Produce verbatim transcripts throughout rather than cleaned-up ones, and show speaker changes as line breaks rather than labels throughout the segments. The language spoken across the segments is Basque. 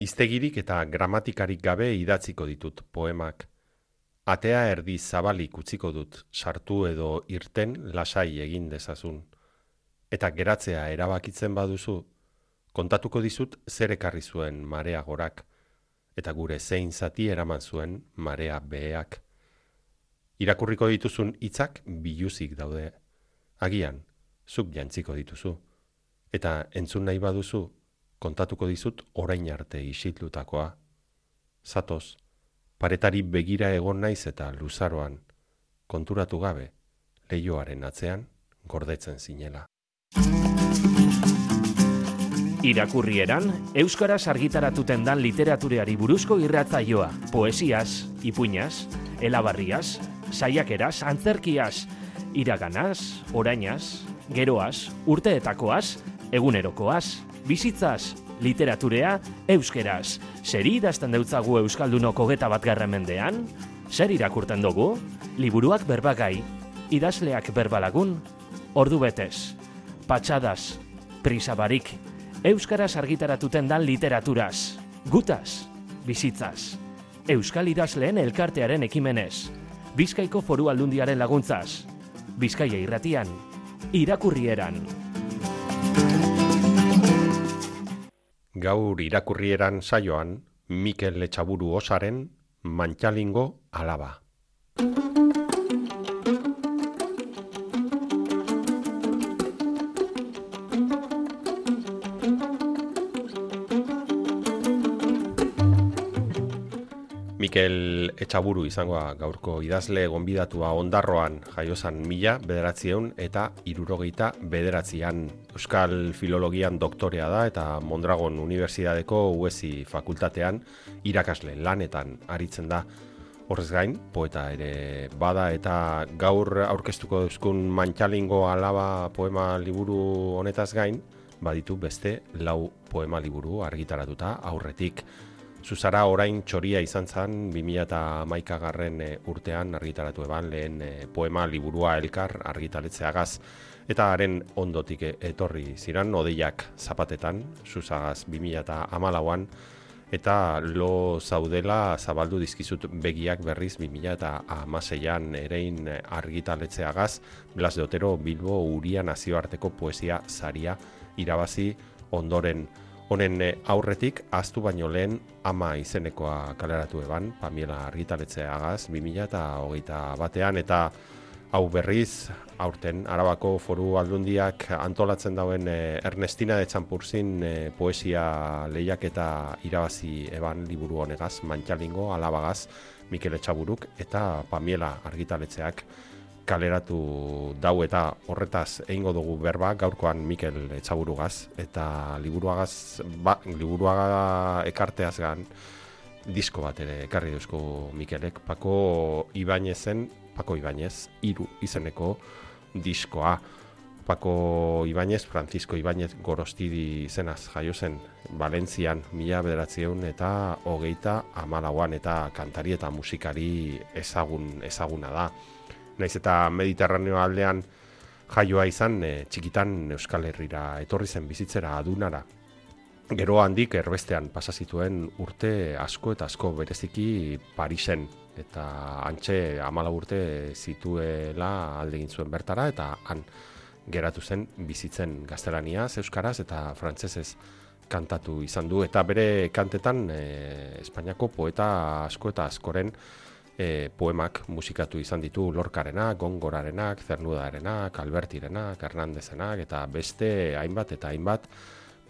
Hiztegirik eta gramatikarik gabe idatziko ditut poemak. Atea erdi zabalik utziko dut, sartu edo irten lasai egin dezazun. Eta geratzea erabakitzen baduzu, kontatuko dizut zer ekarri zuen marea gorak, eta gure zein zati eraman zuen marea beheak. Irakurriko dituzun hitzak biluzik daude. Agian, zuk jantziko dituzu. Eta entzun nahi baduzu, kontatuko dizut orain arte isitlutakoa. Zatoz, paretari begira egon naiz eta luzaroan, konturatu gabe, leihoaren atzean gordetzen zinela.
Irakurrieran, euskaraz argitaratuten dan literatureari buruzko irratzaioa, poesiaz, ipuinaz, elabarriaz, saiakeraz, antzerkiaz, iraganaz, orainaz, geroaz, urteetakoaz, egunerokoaz, bizitzaz, literaturea, euskeraz. Zeri idazten deutzagu euskaldunok hogeta batgarren mendean? Zer irakurten dugu? Liburuak berbagai, idazleak berbalagun, ordu betez, patxadaz, prisabarik, euskaraz argitaratuten dan literaturaz, gutaz, bizitzaz, euskal idazleen elkartearen ekimenez, Bizkaiko Foru Aldundiaren laguntzaz, Bizkaia irratian, irakurrieran.
Gaur irakurrieran saioan, Mikel Etxaburu Osaren Mantxalingo alaba. Mikel Etxaburu izangoa gaurko idazle gonbidatua Ondarroan jaiozan mila bederatzieun eta hirurogeita bederatzian. Euskal Filologian doktorea da eta Mondragon Unibertsitateko U E S I fakultatean irakasle lanetan aritzen da. Horrez gain, poeta ere bada eta gaur aurkeztuko duzkun Mantxalingo alaba poema liburu honetaz gain, baditu beste lau poema liburu argitaratuta aurretik. Zuzara orain txoria izan zen bi mila hamaikagarren urtean argitaratu eban lehen poema liburua elkar argitaletzeagaz. Eta haren ondotik etorri ziran odeiak zapatetan, Zuzagaz bi mila hamalauan, eta lo zaudela zabaldu dizkizut begiak berriz bi mila hamaseian erein argitaletzeagaz, Blas de Otero Bilbo Uria nazioarteko poesia saria irabazi ondoren. Honen aurretik, ahaztu baino lehen ama izenekoa kaleratu eban, Pamiela argitaletzeagaz bi mila hogeita batean, eta hau berriz, aurten, Arabako Foru Aldundiak antolatzen dauen Ernestina de Txanpurzin poesia lehiaketa irabazi eban liburu honegaz, Mantxalingo alabagaz, Mikel Etxaburuk eta Pamiela argitaletzeak kaleratu dau eta horretaz egingo dugu berba gaurkoan Mikel Etxaburugaz eta liburuagaz, ba, liburuaga ekarteaz gan disko bat ere ekarri duzko Mikelek, Pako Ibainezen, Pako Ibainez, hiru izeneko diskoa. Pako Ibainez, Francisco Ibainez Gorostidi izenaz jaio zen Valentzian mila bederatzieun eta hogeita hamalauan eta kantari eta musikari ezagun, ezaguna da. Naiz eta Mediterraneo aldean jaioa izan, e, txikitan Euskal Herrira etorri zen bizitzera adunara. Gero handik erbestean pasa zituen urte asko eta asko bereziki Parisen, eta hantxe hamalau urte zituela alde egin zuen bertara, eta han geratu zen bizitzen gaztelaniaz, euskaraz eta frantsesez kantatu izan du, eta bere kantetan e, Espainiako poeta asko eta askoren E, poemak musikatu izan ditu Lorcarenak, Gongorarenak, Cernudarenak, Albertirenak, Hernandezenak eta beste hainbat eta hainbat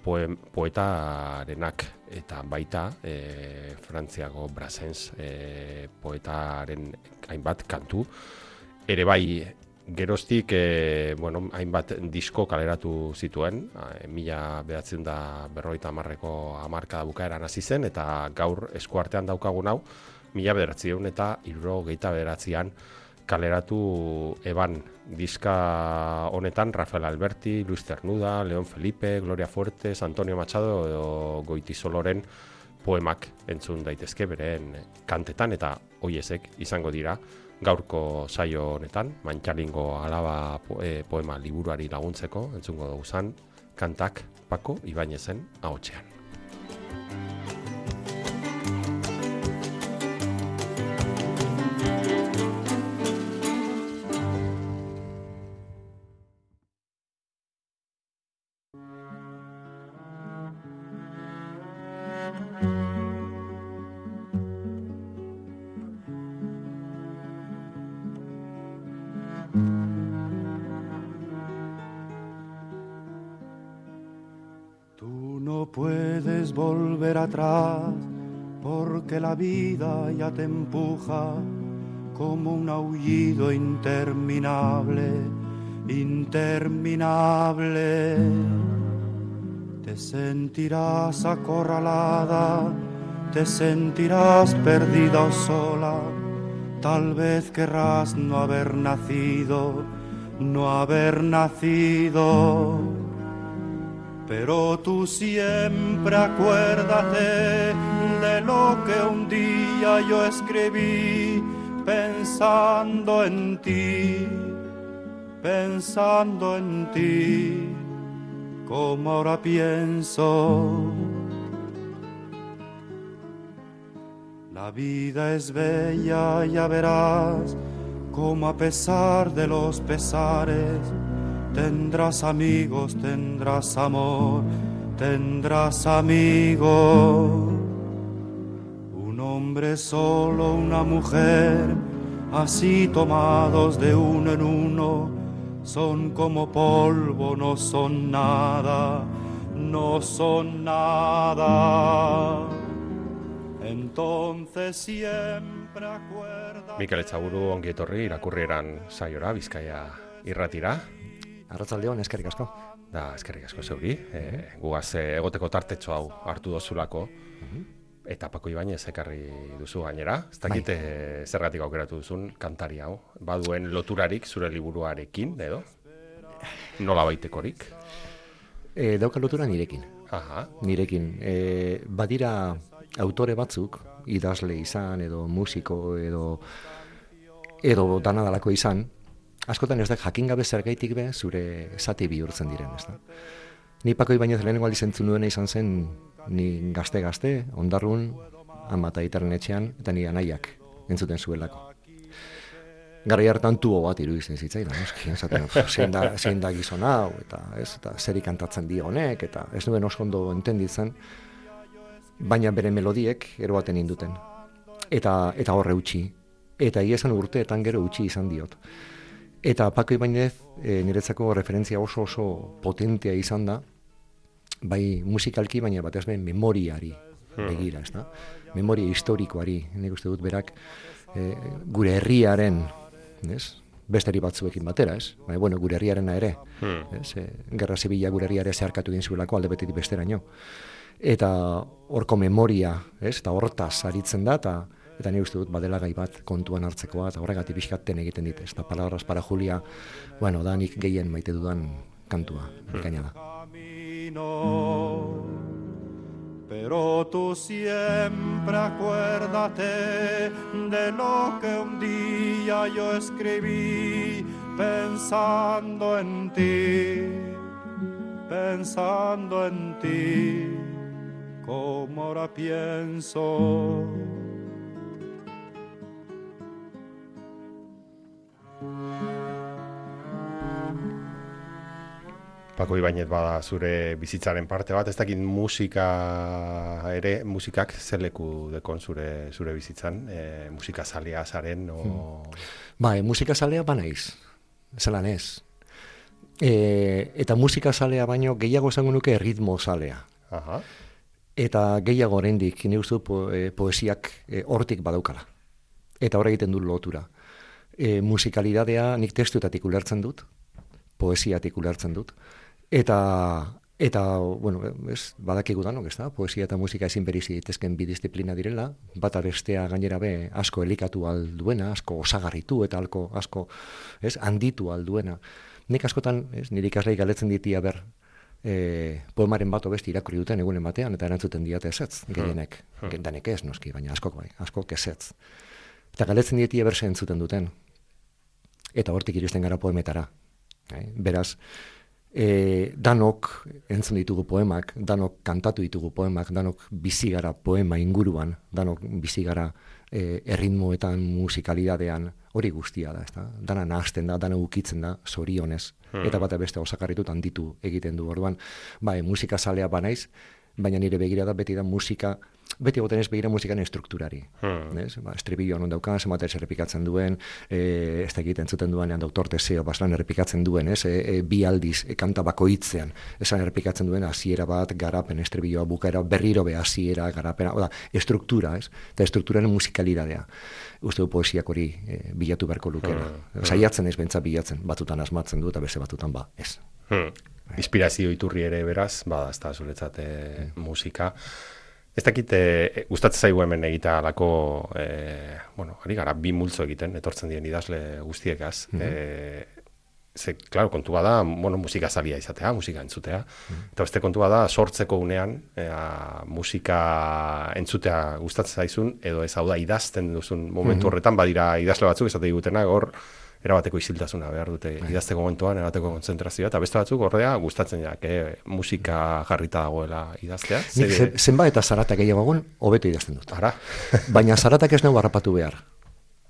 poem, poetarenak eta baita e, Frantziako Brassens e, poetaren hainbat kantu. Ere bai geroztik e, bueno, hainbat disko kaleratu zituen, e, mila behatzen da berroita hamarreko hamarkada bukaeran hasi zen eta gaur eskuartean daukagun hau, mila bederatzieun eta hirurogeita bederatzian kaleratu eban diska honetan Rafael Alberti, Luis Cernuda, León Felipe, Gloria Fuertes, Antonio Machado edo Goitisoloren poemak entzun daitezke beren kantetan eta hoiezek izango dira gaurko saio honetan, Mantxalingo alaba poema liburuari laguntzeko entzungo dugu zan kantak Pako Ibainezen ahotsean.
puedes volver atrás, porque la vida ya te empuja como un aullido interminable, interminable. Te sentirás acorralada, te sentirás perdida o sola, tal vez querrás no haber nacido, no haber nacido. Pero tú siempre acuérdate de lo que un día yo escribí, pensando en ti, pensando en ti, como ahora pienso. La vida es bella, ya verás, como a pesar de los pesares, tendrás amigos, tendrás amor, tendrás amigos. Un hombre solo, una mujer, así tomados de uno en uno, son como polvo, no son nada, no son nada. Entonces siempre acuerda.
Mikel Etxaburu, ongi etorri irakurrieran saiora, Bizkaia irratira.
Arratsaldeon, eskerrik asko.
Da, eskerrik asko zeuri. E, gugaz e, egoteko tartetxo hau hartu dozulako. Eta Pako Ibañez ekarri duzu gainera. Ez dakit e, zergatik aukeratu duzun kantari hau. Baduen loturarik zure liburuarekin, edo? Nola baitekorik?
E, dauka lotura nirekin.
Aha.
Nirekin. E, badira autore batzuk, idazle izan, edo musiko, edo edo danadalako izan, askotan ez da jakin gabe zergaitik be zure zati bihurtzen diren, ez da. Ni Pako Ibañez lehenengo aldiz entzun nuena izan zen, ni gazte-gazte, Ondarrun, ama eta aitaren etxean, eta ni anaiak entzuten zuelako. Garai hartan tubo bat iruditzen zitzaidan, noski, esaten, zein da, zein da gizon hau, eta ez, eta zeri kantatzen di honek, eta ez nuen oso ondo entenditzen, baina bere melodiek ero baten induten. Eta, eta horre utzi. Eta egia esan urteetan gero utzi izan diot. Eta Pako Ibañez e, niretzako referentzia oso oso potentea izan da, bai musikalki, baina batez be memoriari begira, ez da? Memoria historikoari, nik uste dut berak e, gure herriaren, ez? Besteri batzuekin batera, ez? Baina, bueno, gure herriarena ere, ez? E, Gerra Zibila gure herriare zeharkatu egin zuelako alde betetik besteraino. Eta horko memoria, ez? Eta hortaz aritzen da, eta eta ni uste dut badela gai bat kontuan hartzekoa, eta horregatik pixkaten egiten dit, ez da palabras para Julia, bueno, da nik gehien maite dudan kantua, ikaina da.
Pero tú siempre acuérdate de lo que un día yo escribí, pensando en ti, pensando en ti, como ahora pienso.
Pako Ibañez bada zure bizitzaren parte bat, ez dakit musika ere, musikak zeleku dekon zure, zure bizitzan, e, musika zalea zaren, o...
Hmm. Bai, musika zalea banaiz, zelan ez. E, eta musika zalea baino gehiago esango nuke ritmo zalea.
Aha.
Eta gehiago oraindik ni uste po, e, poesiak e, hortik badaukala. Eta hor egiten du lotura. E, musikalidadea nik testuetatik ulertzen dut, poesiatik ulertzen dut. Eta, eta bueno, ez, badakigu danok, ez da, poesia eta musika ezin berizi daitezken bi disiplina direla, bata bestea gainera be asko elikatu alduena, asko osagarritu eta alko, asko ez, handitu alduena. Nik askotan, ez, nire ikaslei galetzen ditia ber, e, poemaren bat beste irakurri duten egunen batean, eta erantzuten diate ezetz, gehienek, hmm. danek ez noski, baina askok bai, askok ezetz. Eta galetzen ditia berse entzuten duten, eta hortik iristen gara poemetara. Beraz, e, danok entzun ditugu poemak, danok kantatu ditugu poemak, danok bizi gara poema inguruan, danok bizi gara e, erritmoetan, musikalidadean, hori guztia da, ezta? Dana nahasten da, dana ukitzen da, zorionez, hmm. eta bata beste osakarritut handitu egiten du. Orduan, bai, musika zalea banaiz, baina nire begira da beti da musika beti egoten ez begira musikan estrukturari.
Hmm.
Ez? Ba, estribillo non daukan, zenbat ez errepikatzen duen, e, ez da egiten zuten duenean doktor Teseo, baslan errepikatzen duen, ez? E, e, bi aldiz, e, kanta bakoitzean, esan errepikatzen duen hasiera bat, garapen, estribilloa, bukaera, berriro be hasiera, garapena, oda, estruktura, ez? Eta estrukturaren musikalidadea. Uste du poesiak hori e, bilatu beharko lukera. Hmm. Saiatzen ez bentsa bilatzen, batutan asmatzen du, eta beste batutan ba, ez.
Hmm. Inspirazio iturri ere beraz, bada, ez da zuretzat e, hmm. musika. Ez dakit, e, gustatzen zaigu hemen egitea alako, e, bueno, ari gara, bi multzo egiten, etortzen diren idazle guztiekaz. Mm -hmm. e, ze, klaro, kontua da, bueno, musika zalia izatea, musika entzutea. Mm -hmm. Eta beste kontua da, sortzeko unean, ea, musika entzutea gustatzen zaizun, edo ez hau da, idazten duzun momentu horretan, badira idazle batzuk, esate digutena, hor, erabateko isiltasuna behar dute idazteko momentuan, erabateko kontzentrazioa, eta beste batzuk ordea gustatzen jak, eh, musika jarrita dagoela idaztea.
Nik ze, zenba eta zaratak gehiago egun, hobeto idazten dut.
Ara.
Baina zaratak ez nago harrapatu behar.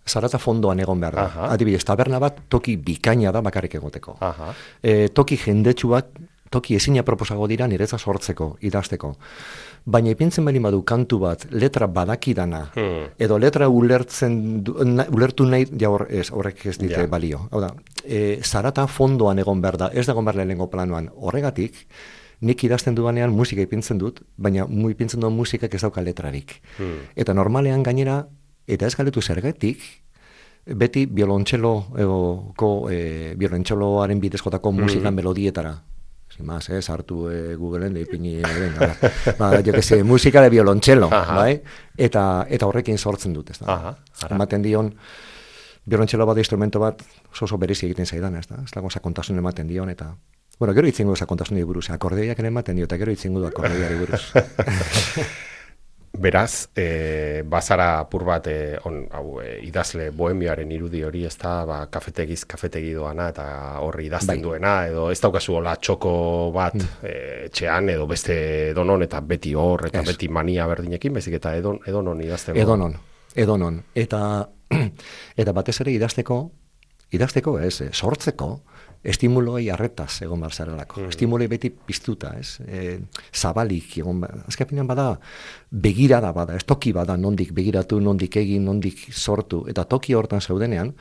Zarata fondoan egon behar da.
Aha.
Adibidez, taberna bat toki bikaina da bakarrik egoteko.
Aha.
E, toki jendetsu bat, toki ezina proposago dira niretza sortzeko, idazteko. Baina ipintzen bali badu kantu bat, letra badakidana, hmm. edo letra ulertzen du, na, ulertu nahi, ja hor, ez, horrek ez dite
ja.
balio. Hau da, e, zarata fondoan egon behar da, ez da egon behar lehenengo planoan. Horregatik, nik idazten dudanean musika ipintzen dut, baina mu ipintzen duen musikak ez dauka letrarik. Hmm. Eta normalean gainera, eta ez galetu zergatik, beti violontxeloko, e, violontxeloaren bidezkotako musikan hmm. melodietara. Sin más, eh, sartu eh, Googleen de ipini, venga, ba, jo que sé, musika de violoncelo, bai? Eta eta horrekin sortzen dut, ezta.
Aha.
Ematen dion violoncelo bat instrumento bat oso berezi egiten zaidan, ezta. Ez dago sakontasun ematen dion eta bueno, gero hitzingo sakontasunari buruz, akordeoiak ere ematen dio eta gero hitzingo du akordeoiari buruz.
Beraz, e, bazara apur bat e, on, hau, e, idazle bohemiaren irudi hori, ez da, ba, kafetegiz kafetegi doana eta horri idazten bai. Duena, edo ez daukazu hola txoko bat mm. e, etxean, edo beste edonon, eta beti hor, eta es. Beti mania berdinekin, bezik eta edon, edonon idazten.
Edonon, edonon. Eta, eta batez ere idazteko, idazteko ez, sortzeko, estimuloi arretaz egon behar zarelako. Mm. Estimuloi beti piztuta, ez? E, zabalik egon behar. Azkapinean bada, begirada bada, ez toki bada, nondik begiratu, nondik egin, nondik sortu. Eta toki hortan zaudenean,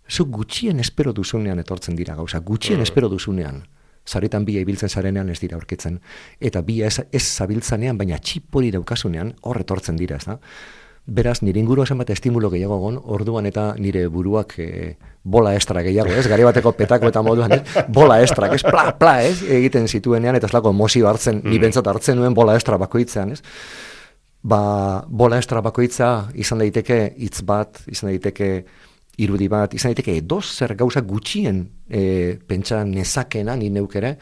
zu gutxien espero duzunean etortzen dira gauza, gutxien mm. espero duzunean. Zaretan bia ibiltzen zarenean ez dira aurkitzen. Eta bia ez, ez zabiltzanean, baina txipori daukasunean, hor etortzen dira, ez da? Beraz, nire inguru esan bat estimulo gehiago egon, orduan eta nire buruak e, bola estra gehiago, ez? Gari bateko petako eta moduan, ez? Bola estra, ez? Pla, pla, ez? Egiten zituenean, eta zelako emozio hartzen, mm. ni bentsat hartzen nuen bola estra bakoitzean, ez? Ba, bola estra bakoitza izan daiteke hitz bat, izan daiteke irudi bat, izan daiteke edoz zer gauza gutxien e, pentsa nezakena, ni neukere,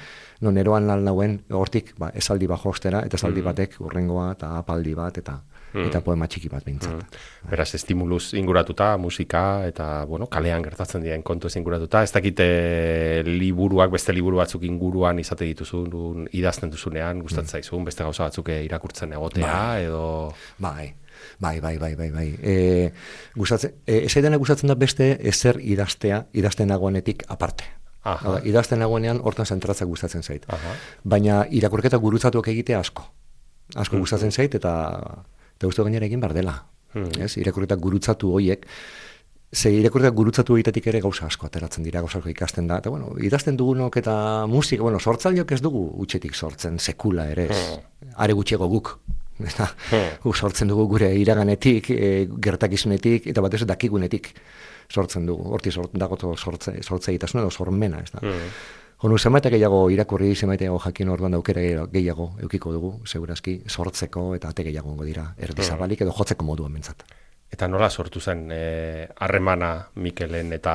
non eroan lan nauen, hortik, ba, esaldi bat jostera, eta esaldi batek urrengoa, eta apaldi bat, eta Mm. eta poema txiki bat bintzat.
Mm. Beraz, estimuluz inguratuta, musika, eta, bueno, kalean gertatzen diren kontu ez inguratuta. Ez dakite liburuak, beste liburu batzuk inguruan izate dituzun, idazten duzunean, gustatzen zaizun, beste gauza batzuk irakurtzen egotea, bai. Edo...
Bai, bai, bai, bai, bai, bai. E, gustatzen, e, ez aidana gustatzen da beste ezer idaztea, idazten nagoenetik aparte. Aha. Idazten nagoenean hortan zentratzak gustatzen zait. Aha. Baina irakurketa gurutzatuak egitea asko. Asko mm-hmm. gustatzen zait, eta... Eta uste gainera egin bar dela. Hmm. Ez? Irakurketak gurutzatu horiek, ze irakurketak gurutzatu horietatik ere gauza asko ateratzen dira, gauza asko ikasten da. Eta, bueno, idazten dugunok eta musika, bueno, sortzaileok ez dugu utxetik sortzen, sekula ere ez. Hmm. Are gutxiego guk. Hmm. Guk sortzen dugu gure iraganetik, e, gertakizunetik, eta batez dakigunetik sortzen dugu. Horti sort, dagoto sortze, sortze egitasuna edo sormena, ez da. Hmm. Honu, zenbaitek gehiago irakurri, zenbaitek gehiago jakin orduan daukera gehiago eukiko dugu, segurazki, sortzeko eta ate gehiago ongo dira, erdizabalik edo jotzeko moduan bentsat.
Eta nola sortu zen harremana eh, Mikelen eta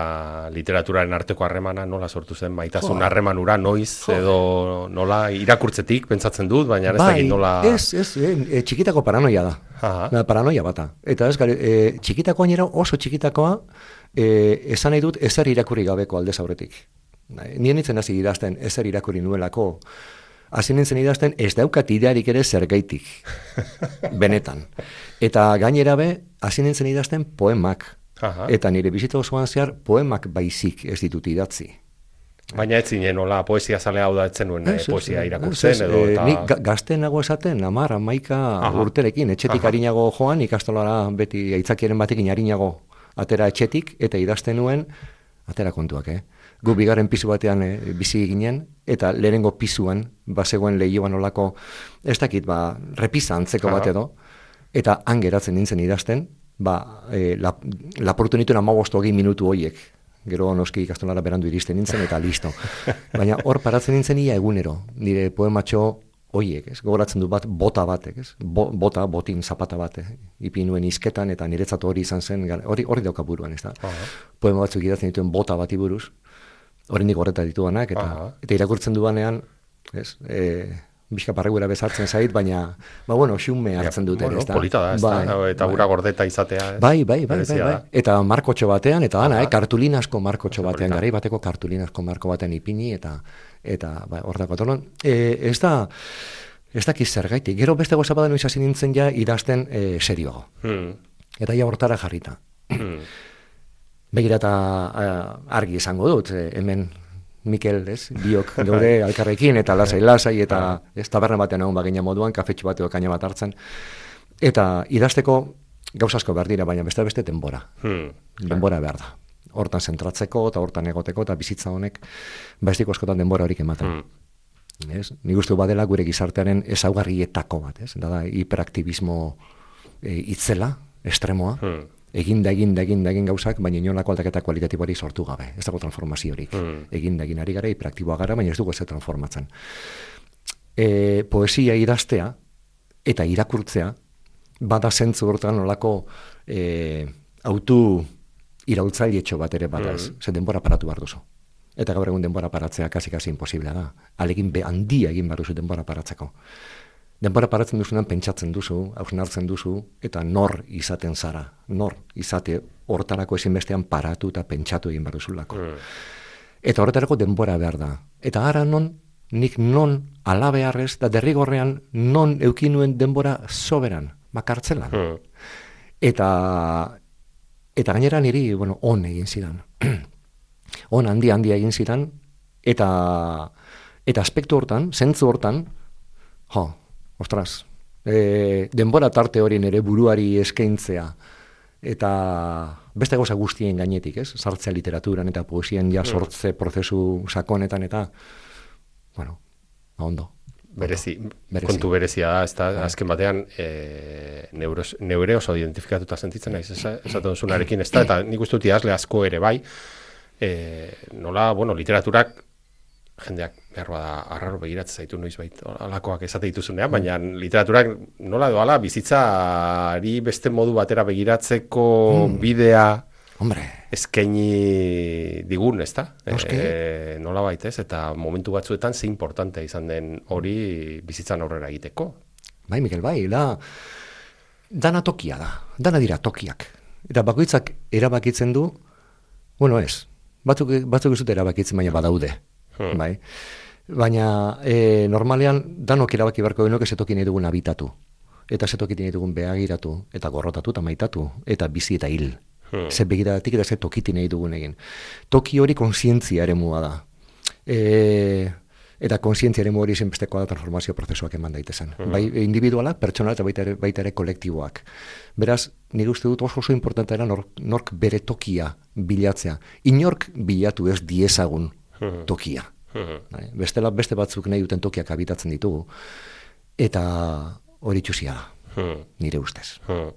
literaturaren arteko harremana, nola sortu zen maitasun harremanura, noiz, jo. Edo nola irakurtzetik pentsatzen dut, baina ez bai, dakit nola...
Ez, ez, e, txikitako paranoia da, Aha. paranoia bata. Eta ez, gari, e, txikitakoa nire oso txikitakoa, e, esan nahi dut ezer irakurri gabeko aldez aurretik. Nien nintzen hasi idazten ezer irakurri nuelako, hasi nintzen idazten ez daukat idearik ere zergaitik, benetan. Eta gainera be, hasi nintzen idazten poemak, Aha. Eta nire bizita osoan zehar poemak baizik ez ditut idatzi.
Baina ez zinen, nola, poesia zalea hau da etzen nuen,
Ez, ez,
poesia
ez,
irakurtzen
ez,
edo...
eh,
Eta...
Nik ga- gaztenago esaten, amar, amaika
Aha.
urterekin, etxetik
Aha.
harinago joan, ikastolara beti aitzakiaren batekin harinago atera etxetik, eta idazten nuen, atera kontuak, eh? Gu bigarren pisu batean eh, bizi ginen, eta lehenengo pisuan, bazegoen lehioan olako, ez dakit, ba, repisa antzeko
Aha.
bat edo, eta han geratzen nintzen idazten, ba, eh, lap, lapurtu nituen amabostu hogei minutu hoiek. Gero noski ikastolara berandu iristen nintzen, eta listo. Baina hor paratzen nintzen ia egunero, nire poematxo hoiek, ez? Gogoratzen du bat, bota batek, ez? Bo, bota, botin, zapata bat, eh? Ipi nuen izketan, eta niretzat hori izan zen, gar- hori hori dauka buruan, ez da?
Aha.
Poema batzuk idatzen dituen bota bati buruz, oraindik horreta dituanak, eta,
Aha.
eta irakurtzen duanean, ez? E, Bizka parregura bezartzen zait, baina, ba bueno, xume hartzen dute,
bueno,
ez da?
polita da, ez da? Eta ura gordeta izatea. ez?
Bai, bai, bai, bai,
Berezia
bai.
da.
Eta markotxo batean, eta ana,
Aha.
eh, kartulinasko markotxo
Oso
batean,
polita.
garai bateko kartulinasko marko batean ipini, eta eta ba, hor dago. Orduan, e, ez da, ez dakiz zergaitik. Gero beste goza badan izasi nintzen ja idazten e, serioago.
Hmm.
Eta ja hortara jarrita.
Hmm.
Begira eta eh, argi esango dut, eh, hemen Mikel, ez, biok gaude alkarrekin, eta lasai-lasai, eta ez taberna batean egon bagina moduan, kafetxu bateo kaina bat hartzen. Eta idazteko gauza asko behar dira, baina beste beste denbora.
Hmm.
Denbora behar da. Hortan zentratzeko, eta hortan egoteko, eta bizitza honek, baiztiko askotan denbora horik ematen.
Hmm.
Ez? Nik uste badela gure gizartearen ezaugarrietako bat, ez? Da, da hiperaktivismo e, itzela, estremoa,
Hmm.
eginda, eginda, eginda, egin gauzak, baina inolako aldaketa kualitatiboari sortu gabe. Ez dago transformaziorik.
Hmm.
Eginda, egin ari gara, hiperaktiboa gara, baina ez dugu ez transformatzen. E, poesia idaztea eta irakurtzea, bada zentzu hortan nolako e, autu iraultzailetxo bat ere bada ez.
Mm.
Ze denbora paratu behar duzu. Eta gaur egun denbora paratzea kasi-kasi imposiblea da. Alegin be handia egin behar duzu denbora paratzeko. Denbora paratzen duzunan pentsatzen duzu, hausnartzen duzu, eta nor izaten zara. Nor izate hortarako ezinbestean paratu eta pentsatu egin behar duzulako.
Hmm.
Eta horretarako denbora behar da. Eta ara non, nik non alabeharrez, da derrigorrean non eukin nuen denbora soberan, makartzelan.
Hmm.
Eta, eta gainera niri, bueno, on egin zidan. On handi handia egin zidan, eta, eta aspektu hortan, zentzu hortan, jo, ostras, e, denbora tarte hori nere buruari eskaintzea, eta beste gauza guztien gainetik, ez? Sartzea literaturan eta poesian ja sortze prozesu sakonetan eta, bueno, ondo.
Berezi,
Berezi.
kontu berezia da, ez da, azken batean e, neuros, neure oso identifikatuta sentitzen naiz, esa- esaten duzunarekin, ez da, eta nik uste dut idazle asko ere bai, e, nola, bueno, literaturak jendeak behar bada arraro begiratzen zaitu noizbait alakoak esate dituzunean, baina literaturak nola doala bizitzari beste modu batera begiratzeko bidea
Hombre,
eskaini digun, ez da?
Noski.
E, nola baita ez, eta momentu batzuetan ze importante izan den hori bizitzan aurrera egiteko.
bai, Mikel, bai, da, dana tokia da, dana dira tokiak. Eta bakoitzak erabakitzen du, bueno ez, batzuk, batzuk ez dute erabakitzen, baina badaude,
Hmm.
bai. Baina e, normalean danok erabaki beharko genuke ze toki nahi dugun habitatu. Eta ze toki nahi dugun behagiratu, eta gorrotatu, eta maitatu, eta bizi eta hil.
Hmm.
Ze begiratik eta ze tokiti nahi dugun egin. Toki hori kontzientzia eremua da. E, eta kontzientzia eremu hori zenbestekoa da transformazio prozesuak eman daitezen. Bai individualak, pertsonal eta baita ere, baita ere kolektiboak. Beraz, nire uste dut oso oso importantera nork, nork bere tokia bilatzea. Inork bilatu ez diezagun tokia.
Mhm.
Bai, bestela beste batzuk nahi duten tokiak habitatzen ditugu. Eta hori txusia da,
Hmm.
nire ustez.
Hmm.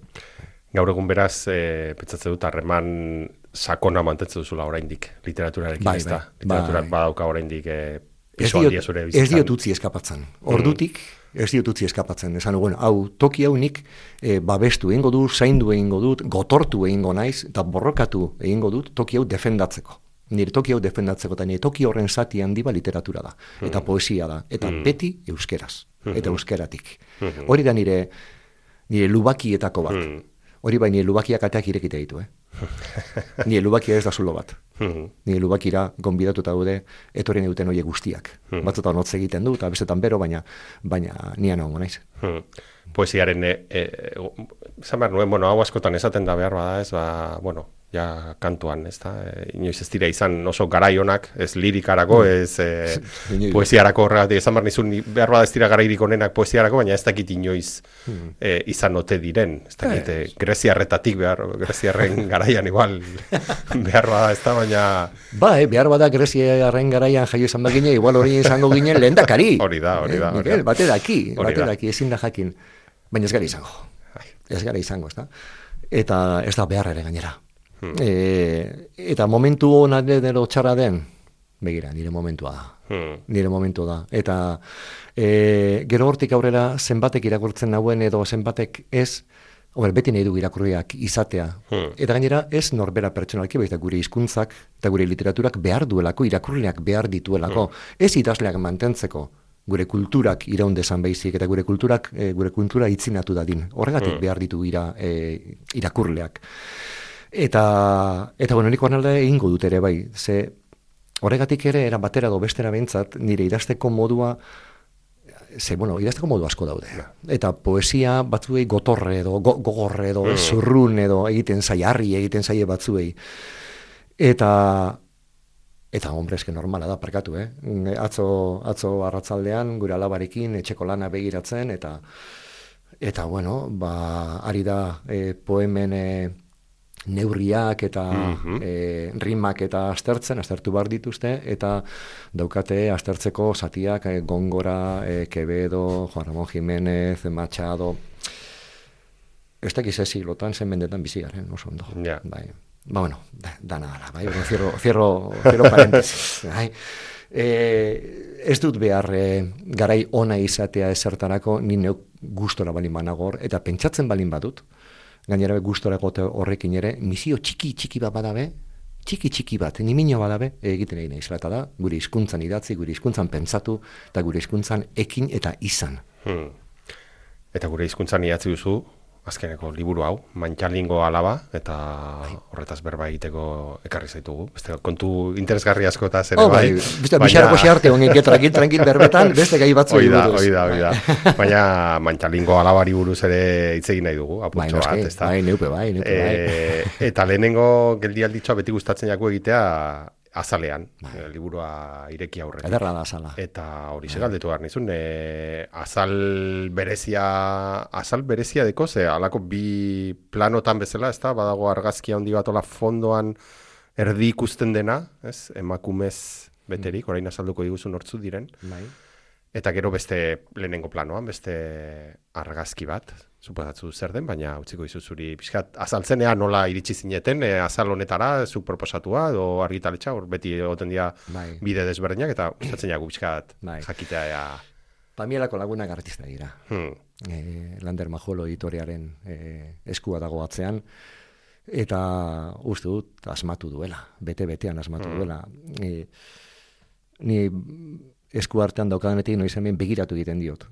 Gaur egun beraz, e, pentsatzen dut harreman sakona mantentzen duzula oraindik literaturarekin,
Bai,
ez da?
bai,
Literaturak
bai.
badauka oraindik e,
Ez
pisu
diot,
handia zure
ez
bizitzan.
diot utzi eskapatzen. Ordutik, ez diot utzi eskapatzen. Esan dugun, hau, toki hau nik e, babestu egingo dut, zaindu egingo dut, gotortu egingo naiz, eta borrokatu egingo dut toki hau defendatzeko. Nire toki hau defendatzeko, eta nire toki horren zati handi ba literatura da, eta poesia da, eta beti euskeraz, eta euskeratik. Hori da nire, nire lubakietako bat.
Hmm.
Hori bai, nire lubakiak ateak irekite ditu, eh? Nire lubakia ez da zulo bat.
Mhm.
Nire lubakira gonbidatuta daude etorri nahi duten horiek guztiak. Batzutan hotz egiten du, eta bestetan bero, baina baina nian hongo naiz.
Hmm. Poesiaren, e, e, zan behar nuen, bueno, hau askotan esaten da behar bada ez, ba, bueno, ja kantuan, ez da? E, inoiz ez dira izan oso garaionak, ez lirikarako, ez e, poesiarako horregatik, esan behar nizun, behar bada ez dira garairik onenak poesiarako, baina ez dakit inoiz e, izan ote diren, ez dakit, e, greziarretatik behar, greziarren garaian igual, behar bada ez da, baina...
Ba, eh, behar bada greziarren garaian jaio izan bagine, igual hori izango ginen lehendakari.
Hori da, hori da.
Eh, Miguel, bate daki, bate daki, ezin da jakin, baina ez gara izango, ez gara izango, ez da? Eta ez da behar ere gainera. Hmm. E, eta momentu hona edo txarra den, begira, nire momentua da. Hmm. Nire momentua da. Eta e, gero hortik aurrera zenbatek irakurtzen nauen edo zenbatek ez, Ober, beti nahi du irakurriak izatea. Hmm. Eta gainera ez norbera pertsonalki, baita gure hizkuntzak eta gure literaturak behar duelako, irakurriak behar dituelako. Hmm. Ez idazleak mantentzeko gure kulturak iraun dezan baizik, eta gure kulturak, e, gure kultura itzinatu dadin. Horregatik hmm. behar ditu ira, e, irakurleak. Eta, eta bueno, nik horrela egingo dut ere bai, ze horregatik ere era batera do bestera behintzat, nire idazteko modua, ze, bueno, idazteko modu asko daude. Eta poesia batzuei gotorre edo, go, gogorre edo, mm. zurrun edo egiten zai, harri egiten zaie batzuei. Eta, eta hombre, eske normala da, parkatu, eh? Atzo, atzo arratzaldean, gure alabarekin, etxeko lana begiratzen, eta, eta bueno, ba, ari da e, poemen... E, neurriak eta mm-hmm. e, rimak eta aztertzen, aztertu bar dituzte, eta daukate aztertzeko zatiak e, Gongora, e, Quevedo, Juan Ramón Jiménez, Machado, ez dakiz ez siglotan zen mendetan bizi garen, oso ondo.
Yeah.
Bai. Ba, bueno, da, dana dala, bai, cierro, cierro, cierro paréntesis. Bai. E, ez dut behar e, garai ona izatea ezertarako, ni neuk gustora balin managor, eta pentsatzen balin badut, gainera gustorako horrekin ere, misio txiki txiki bat badabe, txiki txiki bat, nimino badabe, egiten egin izlata da, gure hizkuntzan idatzi, gure hizkuntzan pentsatu, eta gure hizkuntzan ekin eta izan.
Hmm. Eta gure hizkuntzan idatzi duzu, azkeneko liburu hau, Mantxalingo alaba, eta horretaz berba egiteko ekarri zaitugu. Beste kontu interesgarri asko eta zere
oh, bai. Beste, bixarako xearte honen tranquil, tranquil berbetan, beste gai batzu
egin buruz. Oida, oida, oida. Baina Mantxalingo alabari buruz ere hitz egin nahi dugu, apurtxo bat, ez da.
Bai, neupe, bai, neupe, bai.
E, eta lehenengo geldialditxoa beti gustatzen jako egitea, azalean, bai. Liburua ireki aurretik.
Ederra da azala.
Eta hori bai. Segaldetu behar nizun, e, azal berezia, azal berezia deko, ze alako bi planotan bezala, ez da, badago argazkia handi bat ola fondoan erdi ikusten dena, ez, emakumez beterik, orain azalduko diguzun hortzu diren.
Bai.
Eta gero beste lehenengo planoan, beste argazki bat, suposatzu zer den, baina utziko dizu zuri pixkat azaltzenea nola iritsi zineten, e, azal honetara, zuk proposatua, edo argitaletxa, hor beti egoten dira bai. Bide desberdinak, eta gustatzen jagu pixkat bai. Jakitea ea...
Pamielako lagunak artista dira.
Hmm.
E, Lander Majolo editorearen e, eskua dago atzean, eta uste dut asmatu duela, bete-betean asmatu hmm. duela. E, ni esku artean daukadanetik noiz hemen begiratu egiten diot,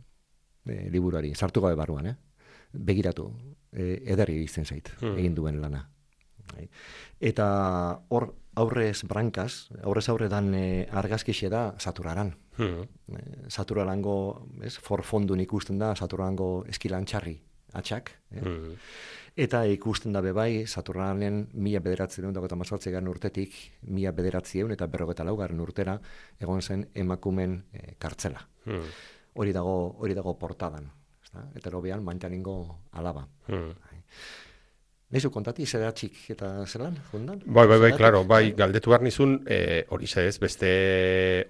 e, liburuari, sartu gabe barruan, eh? Begiratu, e, ederri izten zait, hmm. egin duen lana. Eta hor aurrez brankaz, aurrez aurre dan e, argazkixe da Saturaran. Hmm. E, Saturarango, ez, forfondun ikusten da Saturarango eskilantxarri atxak. Eh? Hmm. Eta ikusten da bebai Saturanen mila bederatzireun dago eta mazortzegarren urtetik mila bederatzieun eta berrogeta laugarren urtera egon zen emakumen e, kartzela. Hmm. Hori dago, hori dago portadan. Eta lobean Mantxalingo alaba. Hmm. Neizu kontati, zeratxik eta zelan, jundan?
Bai, bai, bai, klaro, bai, galdetu behar nizun, e, hori ez, beste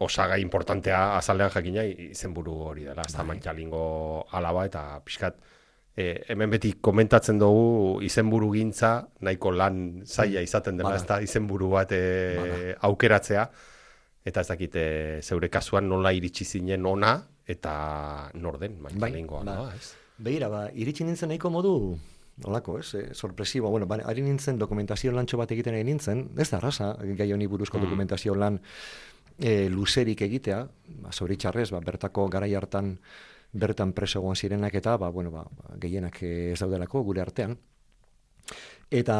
osaga importantea azalean jakina izenburu hori dela, ez da Mantxalingo alaba, eta pixkat, e, hemen beti komentatzen dugu izenburu gintza, nahiko lan zaila izaten dela, ez da izenburu bat e, aukeratzea, eta ez dakit, e, zeure kasuan nola iritsi zinen ona, eta norden, Mantxalingo bai, alaba, ez?
Begira, ba, iritsi nintzen nahiko modu, nolako, ez, e, sorpresibo, bueno, ba, ari nintzen dokumentazio lantxo bat egiten egin nintzen, ez da arrasa, gai honi buruzko mm. dokumentazio lan e, luzerik egitea, ba, zoritxarrez, ba, bertako garai hartan bertan preso egon zirenak eta, ba, bueno, ba, gehienak ez daudelako gure artean. Eta,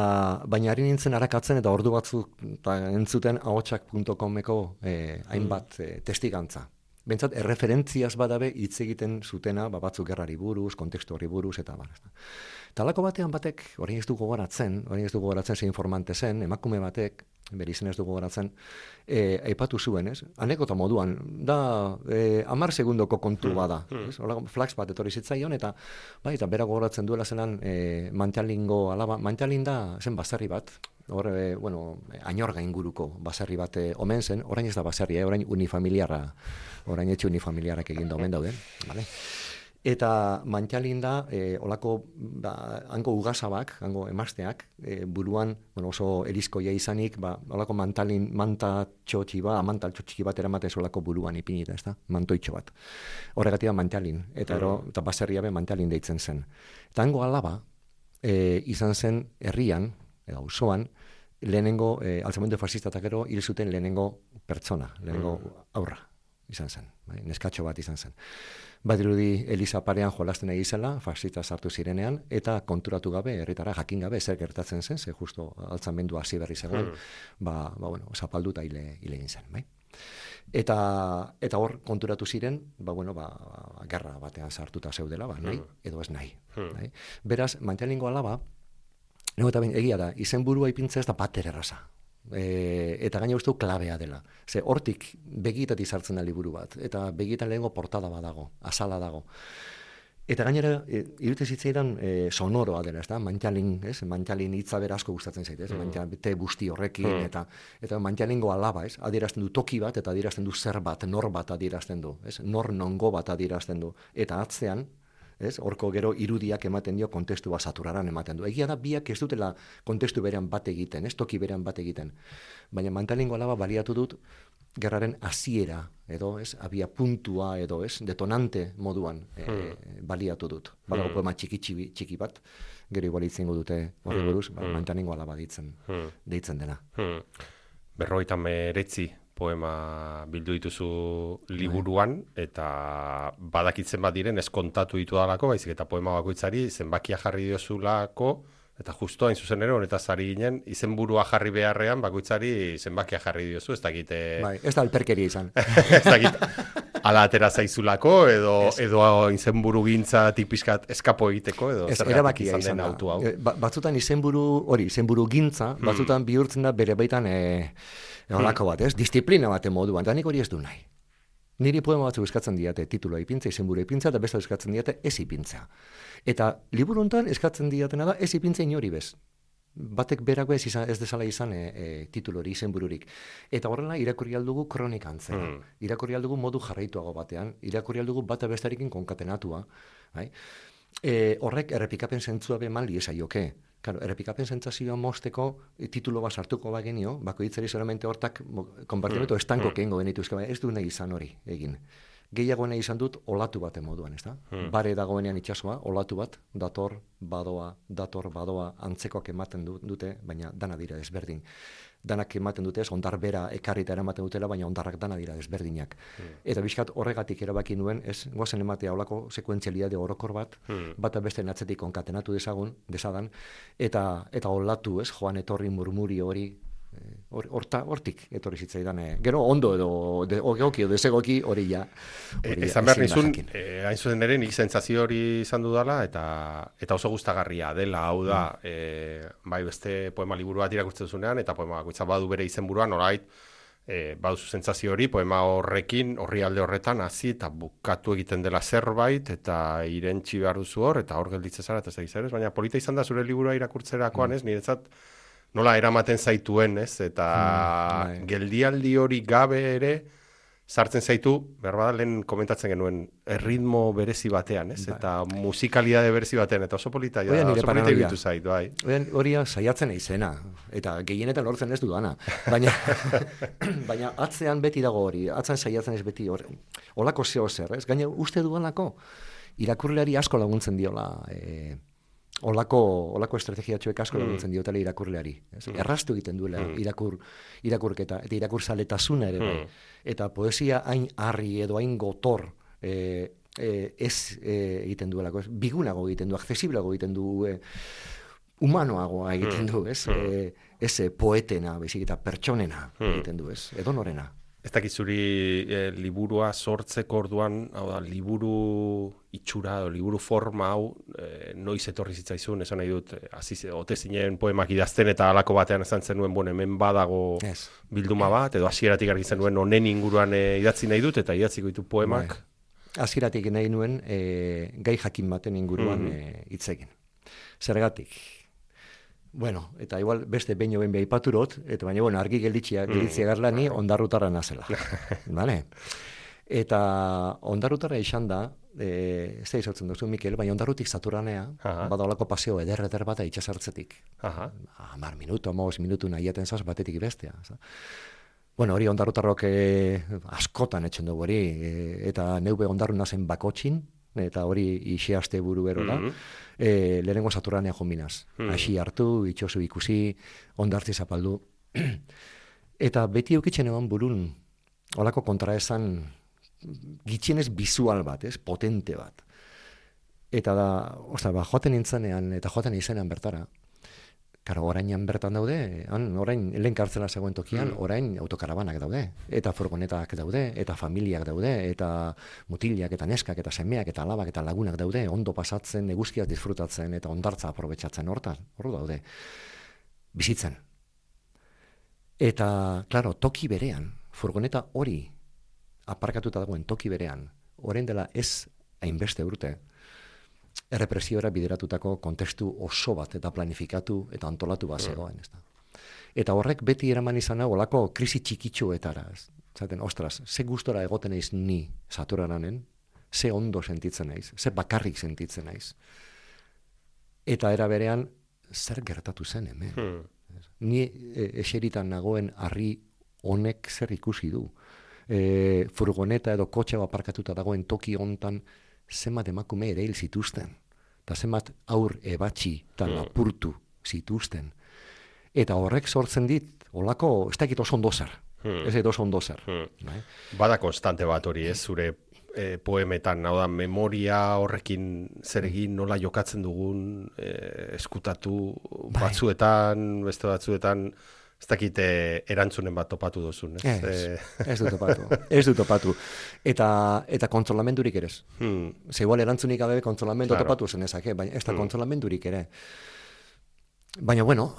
baina ari nintzen arakatzen eta ordu batzuk ta, entzuten ahotsak puntu comeko e, hainbat e, testigantza. bentsat erreferentziaz badabe hitz egiten zutena, ba, batzuk gerrari buruz, kontekstu horri buruz, eta bar. Talako batean batek, orain ez du gogoratzen, orain ez du gogoratzen ze informante zen, emakume batek, bere izen ez du gogoratzen, e, aipatu zuen, ez? Anekdota moduan, da, e, amar segundoko kontu bada, ez? Hola, flax bat etorri zitzaion, eta, bai, eta bera gogoratzen duela zelan, e, Mantxalingo alaba, Mantxalin da zen basarri bat, hor, e, bueno, Añorga inguruko basarri bat e, omen zen, orain ez da basarri, eh? Orain unifamiliarra, orain etxe unifamiliarrak egin da omen dauden, bale? Eta Mantxalin da, e, olako, ba, hango ugazabak, hango emazteak, e, buruan, bueno, oso erizkoia izanik, ba, olako mantalin, manta txotxi bat, mantal txotxi bat eramatez olako buruan ipinita, ez da? Mantoitxo bat. Horregatik da Mantxalin, eta, ero, eta baserria be Mantxalin deitzen zen. Eta hango alaba, e, izan zen herrian, edo auzoan, lehenengo, e, altzamendu fascistatak ero, hil zuten lehenengo pertsona, lehenengo aurra izan zen, bai? Neskatxo bat izan zen. Badirudi Eliza parean jolasten egizela, fascista sartu zirenean, eta konturatu gabe, herritara jakin gabe, zer gertatzen zen, ze justo altzamendu hasi berri zegoen, mm. ba, ba, bueno, zapalduta hile, hile egin zen, bai? Eta, eta hor konturatu ziren, ba, bueno, ba, gerra batean sartuta zeudela, ba, nahi, edo ez nahi. Mm. Bai? Beraz, Mantxalingo alaba, nego eta egia da, izenburua ipintza ez da bater erraza. E, eta gaina uste klabea dela. Ze hortik begitatik sartzen da liburu bat, eta begitan lehengo portada badago, azala dago. Eta gainera, e, irute zitzaidan e, sonoroa dela, ez da? Mantxalin, ez? Mantxalin hitza bera asko gustatzen zaite, ez? Mm. Mantxalin, te busti horrekin, mm. eta eta Mantxalingo alaba, ez? Adierazten du toki bat, eta adierazten du zer bat, nor bat adierazten du, ez? Nor nongo bat adierazten du. Eta atzean, ez? Horko gero irudiak ematen dio kontestu bat saturaran ematen du. Egia da biak ez dutela kontestu berean bat egiten, ez? Toki berean bat egiten. Baina Mantxalingo alaba baliatu dut gerraren hasiera edo, ez? Abia puntua edo, ez? Detonante moduan e, hmm. baliatu dut. Badago hmm. poema txiki, txiki, txiki bat, gero igual itzengo dute horri buruz, hmm. ba, Mantxalingo alaba deitzen, hmm. deitzen dena.
Hmm. Berrogeita meretzi poema bildu dituzu liburuan, eta badakitzen bat diren ez kontatu ditu dalako, baizik eta poema bakoitzari zenbakia jarri diozulako, eta justo hain zuzen ere, honetaz ari ginen, izenburua jarri beharrean, bakoitzari zenbakia jarri diozu, ez dakite...
Bai, ez da alperkeria izan.
Ez dakit, ala atera zaizulako, edo, edo izenburu gintza tipiskat eskapo egiteko, edo
ez,
zergatik izan den autu hau.
Ba, batzutan izenburu, hori, izenburu gintza, batzutan hmm. bihurtzen da bere baitan... E, Olako bat, ez? Disiplina baten moduan, eta nik hori ez du nahi. Niri poema batzu eskatzen diate titulua ipintza, izenburua ipintza, eta beste eskatzen diate ez ipintza. Eta liburu honetan eskatzen diatena da ez ipintza inori bez. Batek berako ez, izan, ez desala izan e, e, titulori, izenbururik. Eta horrela irakurri aldugu kronika antzera. Mm. Irakurri aldugu modu jarraituago batean, irakurri aldugu bata bestarekin konkatenatua. Bai? E, horrek errepikapen zentzua be mali esaioke. Claro, errepikapen sentsazioa mosteko e, titulo bat sartuko bagenio, bakoitzari solamente hortak konpartimentu mm. estanko mm. kengo genituzke, ez du nahi izan hori egin. Gehiago nahi izan dut olatu baten moduan, ez da? Mm. Bare dagoenean itsasoa, olatu bat, dator, badoa, dator, badoa, antzekoak ematen dute, baina dana dira desberdin. Danak ematen dute ez, ondar bera ekarrita eramaten dutela, baina ondarrak dana dira desberdinak. Mm. Eta bizkat horregatik erabaki nuen, ez, goazen ematea olako sekuentzialidade orokor bat, mm. bata beste atzetik konkatenatu dezagun, dezadan, eta eta olatu, ez, joan etorri murmuri hori, horta hortik etorri zitzaidan, eh. Gero ondo edo de, ogeoki edo desegoki hori ja.
Ezan behar nizun, eh, hain zuen ere nik sentsazio hori izan dudala, eta eta oso gustagarria dela, hau da, mm. eh, bai beste poema liburu bat irakurtzen zunean, eta poema bakoitza badu bere izenburuan, norbait, eh, baduzu sentsazio hori, poema horrekin, horri alde horretan, hasi eta bukatu egiten dela zerbait, eta irentsi behar duzu hor, eta hor gelditzen zara, eta ez da baina polita izan da zure liburua irakurtzerakoan, mm. ez, niretzat, nola eramaten zaituen, ez? Eta mm, geldialdi hori gabe ere sartzen zaitu, berbada lehen komentatzen genuen, erritmo berezi batean, ez? Bai. Eta musikalidade berezi batean, eta oso polita, ja, oso polita ibitu zait, bai.
Hori saiatzen izena, eta gehienetan lortzen ez dudana. Baina, baina atzean beti dago hori, atzean saiatzen ez beti hori. Olako zeo zer, ez? Gaina uste duanako, irakurleari asko laguntzen diola... E, Olako, olako estrategiatxoek asko laguntzen mm. diotela irakurleari. Mm. Erraztu egiten duela mm. irakur, irakurketa, eta irakurzaletasuna ere. Mm. Eta poesia hain harri edo hain gotor e, e, ez e, egiten duelako. Ez, bigunago egiten du, accesiblago egiten du, e, humanoagoa egiten du, ez? Mm. E, ez poetena, bezik eta pertsonena mm. egiten du, ez? Edo norena.
Ez dakit zuri e, liburua sortzeko orduan, hau da, liburu itxura, o, liburu forma hau, e, noiz etorri zitzaizun, esan nahi dut, aziz, ote zinen poemak idazten eta halako batean esan zenuen, bon, hemen badago
yes.
bilduma bat, edo hasieratik argi zenuen honen inguruan e, idatzi nahi dut, eta idatziko ditu poemak.
Bai. Hasieratik nahi nuen e, gai jakin baten inguruan mm-hmm. e, hitz egin. Zergatik? Bueno, eta igual beste behin ben behaipaturot, eta baina, bueno, argi gelditzia, gelditzia garla ni ondarrutarra nazela. Vale? Eta ondarrutarra izan da, e, ez da izautzen duzu, Mikel, baina ondarrutik Saturanea, badalako paseo eder-eder bat itxasartzetik. Hamar minutu, hamabos minutu nahiaten zaz batetik bestea. Bueno, hori ondarrutarrok e, askotan etxen dugu hori, e, eta neube ondarru nazen bakotxin, eta hori ixe aste buru berola, mm-hmm. e, lehenengo Saturanea jominaz. Mm-hmm. Asi hartu, itxosu ikusi, ondartzi zapaldu. Eta beti eukitzen egon burun, holako kontraesan, gitxienez bizual bat, ez, potente bat. Eta da, osta, ba, joaten nintzenean, eta joaten izenean bertara, karo, orainan bertan daude, han, orain, lehen kartzela zegoen tokian, mm. orain autokarabanak daude, eta furgonetak daude, eta familiak daude, eta mutilak, eta neskak, eta semeak, eta alabak, eta lagunak daude, ondo pasatzen, eguzkiaz disfrutatzen, eta ondartza aprobetxatzen hortan, hor daude, bizitzen. Eta, klaro, toki berean, furgoneta hori, aparkatuta dagoen toki berean, orain dela ez hainbeste urte, errepresiora bideratutako kontestu oso bat eta planifikatu eta antolatu bat zegoen. Ez da. Eta horrek beti eraman izan hau olako krisi txikitxoetara. Zaten, ostras, ze gustora egoten naiz ni Saturananen, ze ondo sentitzen naiz, ze bakarrik sentitzen naiz. Eta era berean, zer gertatu zen hemen. Hmm. Ni e, eseritan nagoen harri honek zer ikusi du. E, furgoneta edo kotxe aparkatuta dagoen toki hontan, zenbat emakume ere hil zituzten, eta zenbat aur ebatxi eta lapurtu zituzten. Eta horrek sortzen dit, olako, ez dakit oso ondo zer, hmm. ez dakit oso ondo zer. Hmm.
Bada konstante bat hori, ez, zure e, poemetan, hau da, memoria horrekin zer egin, nola jokatzen dugun, e, eskutatu bai. Batzuetan, beste batzuetan, ez dakit erantzunen bat topatu duzun, ez?
Ez, ez du topatu, ez du topatu. Eta, eta kontsolamendurik ere. Hmm. Ze igual erantzunik gabe kontsolamendu claro. Topatu zen ezak, baina ez da hmm. kontsolamendurik ere. Baina, bueno,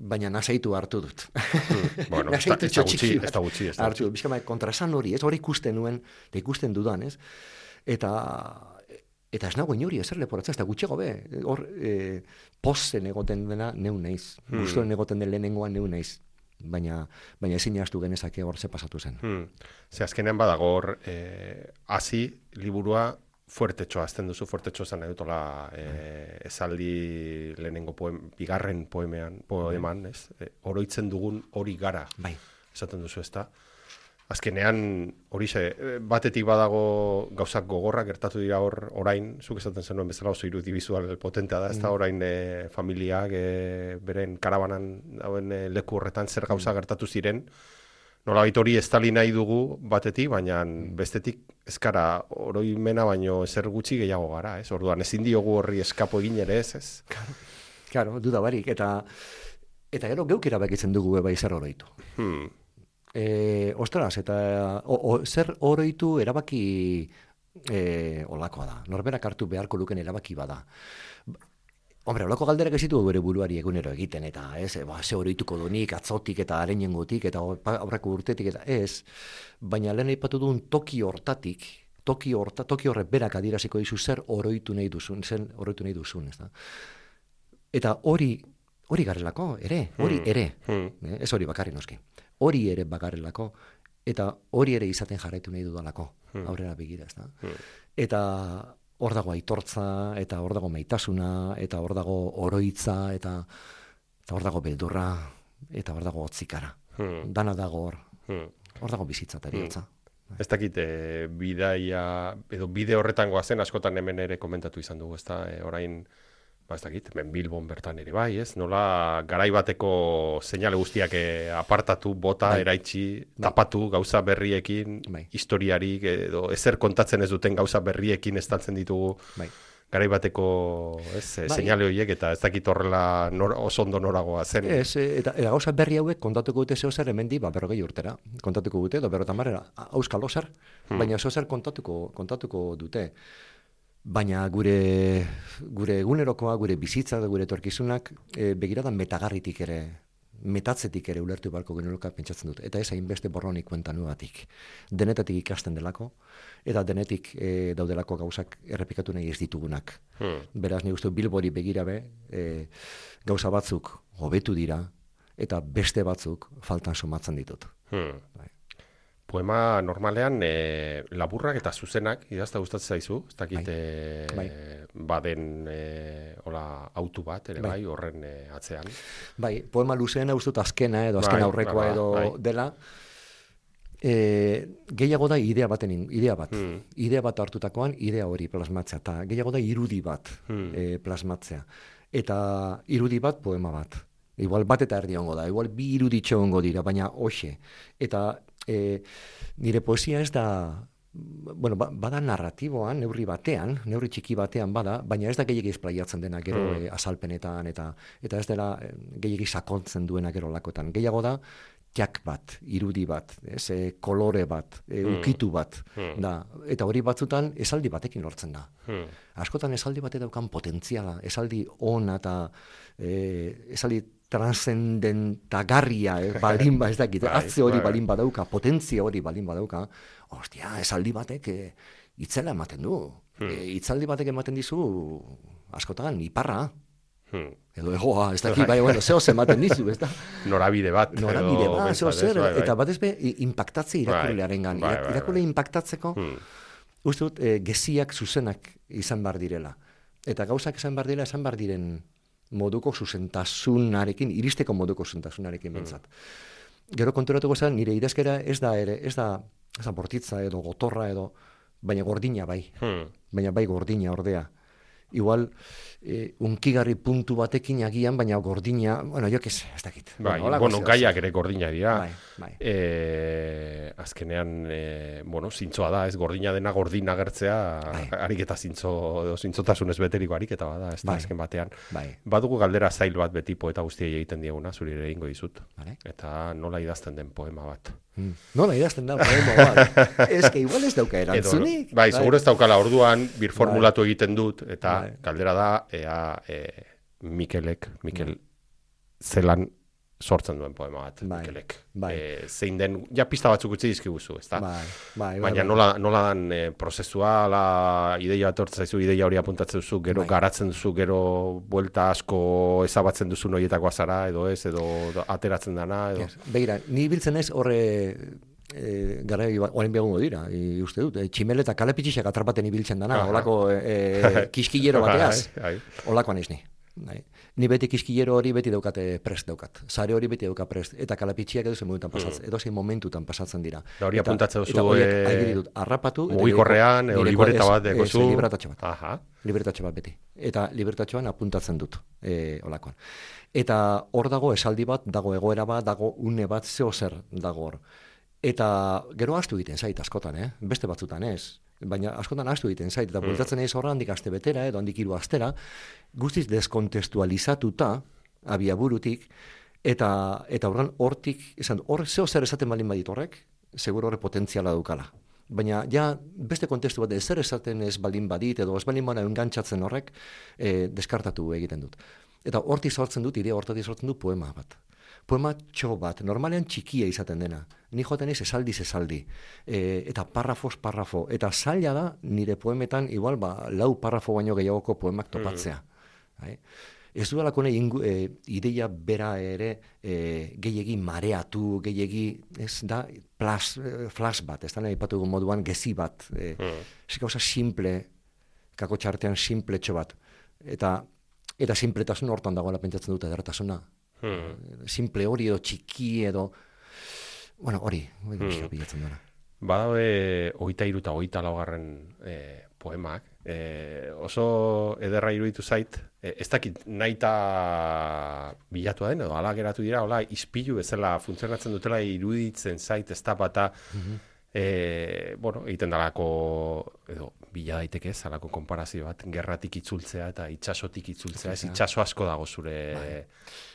baina nasaitu hartu dut.
Hmm. Bueno, ez da gutxi, ez da gutxi.
Hartu, bizkama, kontrasan hori, ez hori ikusten nuen, eta ikusten dudan, ez? Eta... Eta ez nago inori ezer leporatzen, ez da gutxego be, hor e, pozen egoten dena neu naiz, hmm. guztuen egoten den lehenengoan neu naiz, baina, baina ezin jaztu genezake hor ze pasatu zen.
Hmm. Ze azkenean badago hor, eh, hasi liburua fuertetxoa, azten duzu fuertetxoa zen edutola eh, esaldi lehenengo poem, bigarren poemean, poeman, ez? E, oroitzen dugun hori gara,
bai.
Esaten duzu ez da. Azkenean, hori ze, batetik badago gauzak gogorrak gertatu dira hor orain, zuk esaten zenuen bezala oso irudi bizual potentea da, ez da orain e, familiak e, beren karabanan dauen e, leku horretan zer gauza gertatu ziren, nolabait hori estali nahi dugu batetik, baina bestetik ezkara oroimena baino ezer gutxi gehiago gara, ez? Orduan ezin diogu horri eskapo egin ere ez, ez?
Claro, claro, duda barik, eta eta gero geuk erabakitzen dugu bai zer oroitu. Hmm. E, ostras, eta o, o, zer oroitu erabaki e, olakoa da. Norberak hartu beharko luken erabaki bada. Hombre, olako galderak ez ditu bere buruari egunero egiten, eta ez, ba, ze oroituko donik, atzotik eta arenengotik, eta aurreko urtetik, eta ez. Baina lehen aipatu duen toki hortatik, toki, horta, toki horrek berak adieraziko dizu zer oroitu nahi duzun, zer oroitu nahi duzun, ez da. Eta hori, hori garelako, ere, hori ere, hmm. ez hori bakarri noski. Hori ere bakarrelako, eta hori ere izaten jarraitu nahi dudalako, hmm. aurrera begira, ez da. Hmm. Eta hor dago aitortza, eta hor dago maitasuna, eta hor dago oroitza, eta hor dago beldurra, eta hor dago otzikara. Hmm. Dana dago hor, hmm. hor dago bizitza eta eriotza.
Hmm. Ez dakit, e, bidaia, edo bide horretan goazen, askotan hemen ere komentatu izan dugu, ez da, e, orain, ba ez dakit, hemen Bilbon bertan ere bai, ez? Nola garai bateko seinale guztiak apartatu, bota, bai. Eraitsi, bai. Tapatu gauza berriekin, bai. Historiarik edo ezer kontatzen ez duten gauza berriekin estaltzen ditugu bai. garai bateko, ez, bai. Seinale horiek eta ez dakit horrela nor, oso ondo noragoa zen.
Ez, eta, eta gauza berri hauek kontatuko dute zeo zer hemendi, ba, berrogei urtera. Kontatuko dute, edo berrotan marrera, auskalo zer, hmm. baina zeo zer kontatuko, kontatuko dute. Baina gure, gure egunerokoa, gure bizitza, gure etorkizunak, e, begiradan metagarritik ere, metatzetik ere ulertu balko genuloka pentsatzen dut. Eta ez hainbeste borronik kuentanuatik. Denetatik ikasten delako, eta denetik e, daudelako gauzak errepikatu nahi ez ditugunak. Hmm. Beraz, nik uste Bilbori begirabe, e, gauza batzuk hobetu dira, eta beste batzuk faltan somatzen ditut. Hmm. Bai.
Poema normalean e, laburrak eta zuzenak idazta gustatzen zaizu, ez dakit bai. E, bai. baden e, hola, autu bat ere bai, bai horren e, atzean.
Bai, poema luzeena ustut azkena edo azken bai, aurrekoa bai, edo bai. dela, e, gehiago da idea baten, idea bat. Hmm. Idea bat hartutakoan idea hori plasmatzea, eta gehiago da irudi bat hmm. e, plasmatzea. Eta irudi bat poema bat. Igual bat eta erdi hongo da, igual bi iruditxo hongo dira, baina hoxe. Eta E, nire poesia ez da, bueno, ba, bada narratiboan, neurri batean, neurri txiki batean bada, baina ez da gehiagi esplaiatzen dena gero mm. e, azalpenetan, eta eta ez dela e, gehiagi sakontzen duena gero lakotan. Gehiago da, jak bat, irudi bat, ez, e, kolore bat, e, mm. ukitu bat, mm. da, eta hori batzutan esaldi batekin lortzen da. Mm. Askotan esaldi batek daukan potentziala, esaldi ona eta e, esaldi transcendentagarria, eh, balin ba, ez dakit, atze hori balin badauka, potentzia hori balin badauka, ostia, esaldi batek eh, itzela ematen du. Hmm. E, itzaldi batek ematen dizu, askotan, iparra. Hmm. Edo egoa, ez dakit, bai, bueno, zehoz ematen dizu, ez da?
Norabide bat.
Norabide bat, zehoz zer, bai, bai. Eta bat ezbe, impactatze irakurlearen gan. Bai, bai, bai, irakurle impactatzeko, hmm. uste dut, e, geziak zuzenak izan bar direla. Eta gauzak izan bar direla, izan bar diren moduko zuzentasunarekin, iristeko moduko zuzentasunarekin bentsat. Mm. Gero konturatuko zen, nire idazkera ez da ere, ez da, ez da bortitza edo gotorra edo, baina gordina bai. Hmm. Baina bai gordina ordea. Igual, e, unkigarri puntu batekin agian, baina gordina, bueno, jo ez, ez dakit.
Bai, bueno, bueno gaiak ere gordina dira.
Bai, bai.
E, azkenean, e, bueno, zintzoa da, ez gordina dena gordina gertzea, bai. Harik eta zintzo, zintzotasunez beteriko harik eta bada, ez da, bai. Azken batean. Bai. Badugu galdera zail bat beti poeta guztiei egiten dieguna, zuri ere egingo dizut. Vale. Eta nola idazten den poema bat.
Mm. Nola idazten da poema bat. Ez que igual ez dauka erantzunik.
Edo, bai, bai. Seguro ez daukala orduan, birformulatu bai. Egiten dut, eta bai. Galdera da, ea e, Mikelek, Mikel zelan sortzen duen poema bat, bai. Mikelek. Bai. E, zein den, ja pista batzuk utzi dizkiguzu, ezta? Bai. Bai, bai, baina bai. Nola, nola dan e, prozesua, la ideia bat hortzen zaizu, ideia hori apuntatzen duzu, gero bai. Garatzen duzu, gero buelta asko ezabatzen duzu noietakoa zara, edo ez, edo ateratzen dana, edo... Yes. Begira, ni biltzen ez horre... E, gara orain begungo dira, i, uste dut, e, tximel eta kalepitxixak atrapaten ibiltzen dana, olako e, e, kiskillero bateaz, olakoan ez ni. Ni beti kiskillero hori beti daukate prest daukat, sare hori beti dauka prest, eta kalepitxiak edo zein momentutan pasatzen, edo zein momentutan pasatzen dira. Da hori apuntatzen duzu, e, arrapatu, mugikorrean, edo libreta bat deko zu. Libretatxo bat, Aha. libretatxo bat beti, eta libretatxoan apuntatzen dut, e, olakoan. Eta hor dago esaldi bat, dago egoera bat, dago une bat, zeo zer dago hor. Eta gero astu egiten zait askotan, eh? Beste batzutan ez. Baina askotan astu egiten zait. Eta bultatzen ez horra handik aste betera, edo handik hiru astera, guztiz deskontestualizatuta, abiaburutik, eta eta horren hortik, esan, hor zeo zer esaten balin badit horrek, seguro horre potentziala dukala. Baina ja beste kontestu bat zer esaten ez balin badit, edo ez balin bana engantzatzen horrek, eh, deskartatu egiten dut. Eta hortik sortzen dut, idea hortatik sortzen dut poema bat. Poema txo bat, normalean txikia izaten dena. Ni joaten ez esaldiz esaldi. E, eta parrafos parrafo. Eta zaila da, nire poemetan, igual, ba, lau parrafo baino gehiagoko poemak topatzea. Mm. Ez dudalako nahi e, ideia bera ere e, gehiegi mareatu, gehiegi, ez da, plas, flash bat, ez da nahi patu moduan gezi bat. E, mm. Ez gauza simple, kako txartean simple txo bat. Eta, eta simpletasun hortan dagoela pentsatzen dut edertasuna. Hmm. Simple hori edo txiki edo bueno, hori hmm. bilatzen dara. Badabe hogeita hiru eta hogeita laugarren eh, poemak eh, oso ederra iruditu zait, eh, ez dakit nahita bilatu den edo ala geratu dira, hola ispilu bezala funtzionatzen dutela iruditzen zait, ez da bata mm-hmm. E, bueno, egiten dalako, edo, bila daiteke ez, alako konparazio bat, gerratik itzultzea eta itxasotik itzultzea, ez itxaso asko dago zure, bai.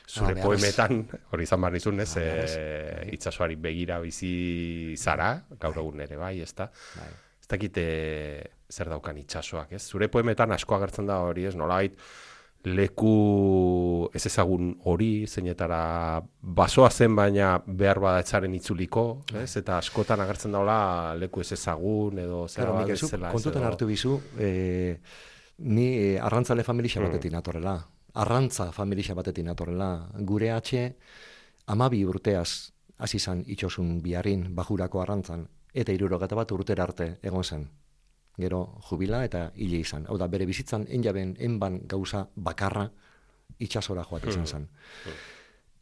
zure ah, poemetan, hori izan behar nizun, ez, ah, e, itxasoari begira bizi zara, gaur egun ere, bai, ez da, bai. ez dakite zer daukan itxasoak, ez, zure poemetan asko agertzen da hori, ez, nolait, leku ez ezagun hori, zeinetara basoa zen baina behar bada etzaren itzuliko, ez? Eta askotan agertzen daula leku ez ezagun edo zer
claro, bat bezala. Kontutan hartu bizu, eh, ni arrantzale familia batetik natorrela, arrantza familia batetik natorrela, gure atxe amabi urteaz hasi izan itxosun biharrin bajurako arrantzan, eta hirurogeta bat urtera arte egon zen. Gero jubila eta hile izan. Hau da, bere bizitzan enjaben, enban gauza bakarra itxasora joat izan zen.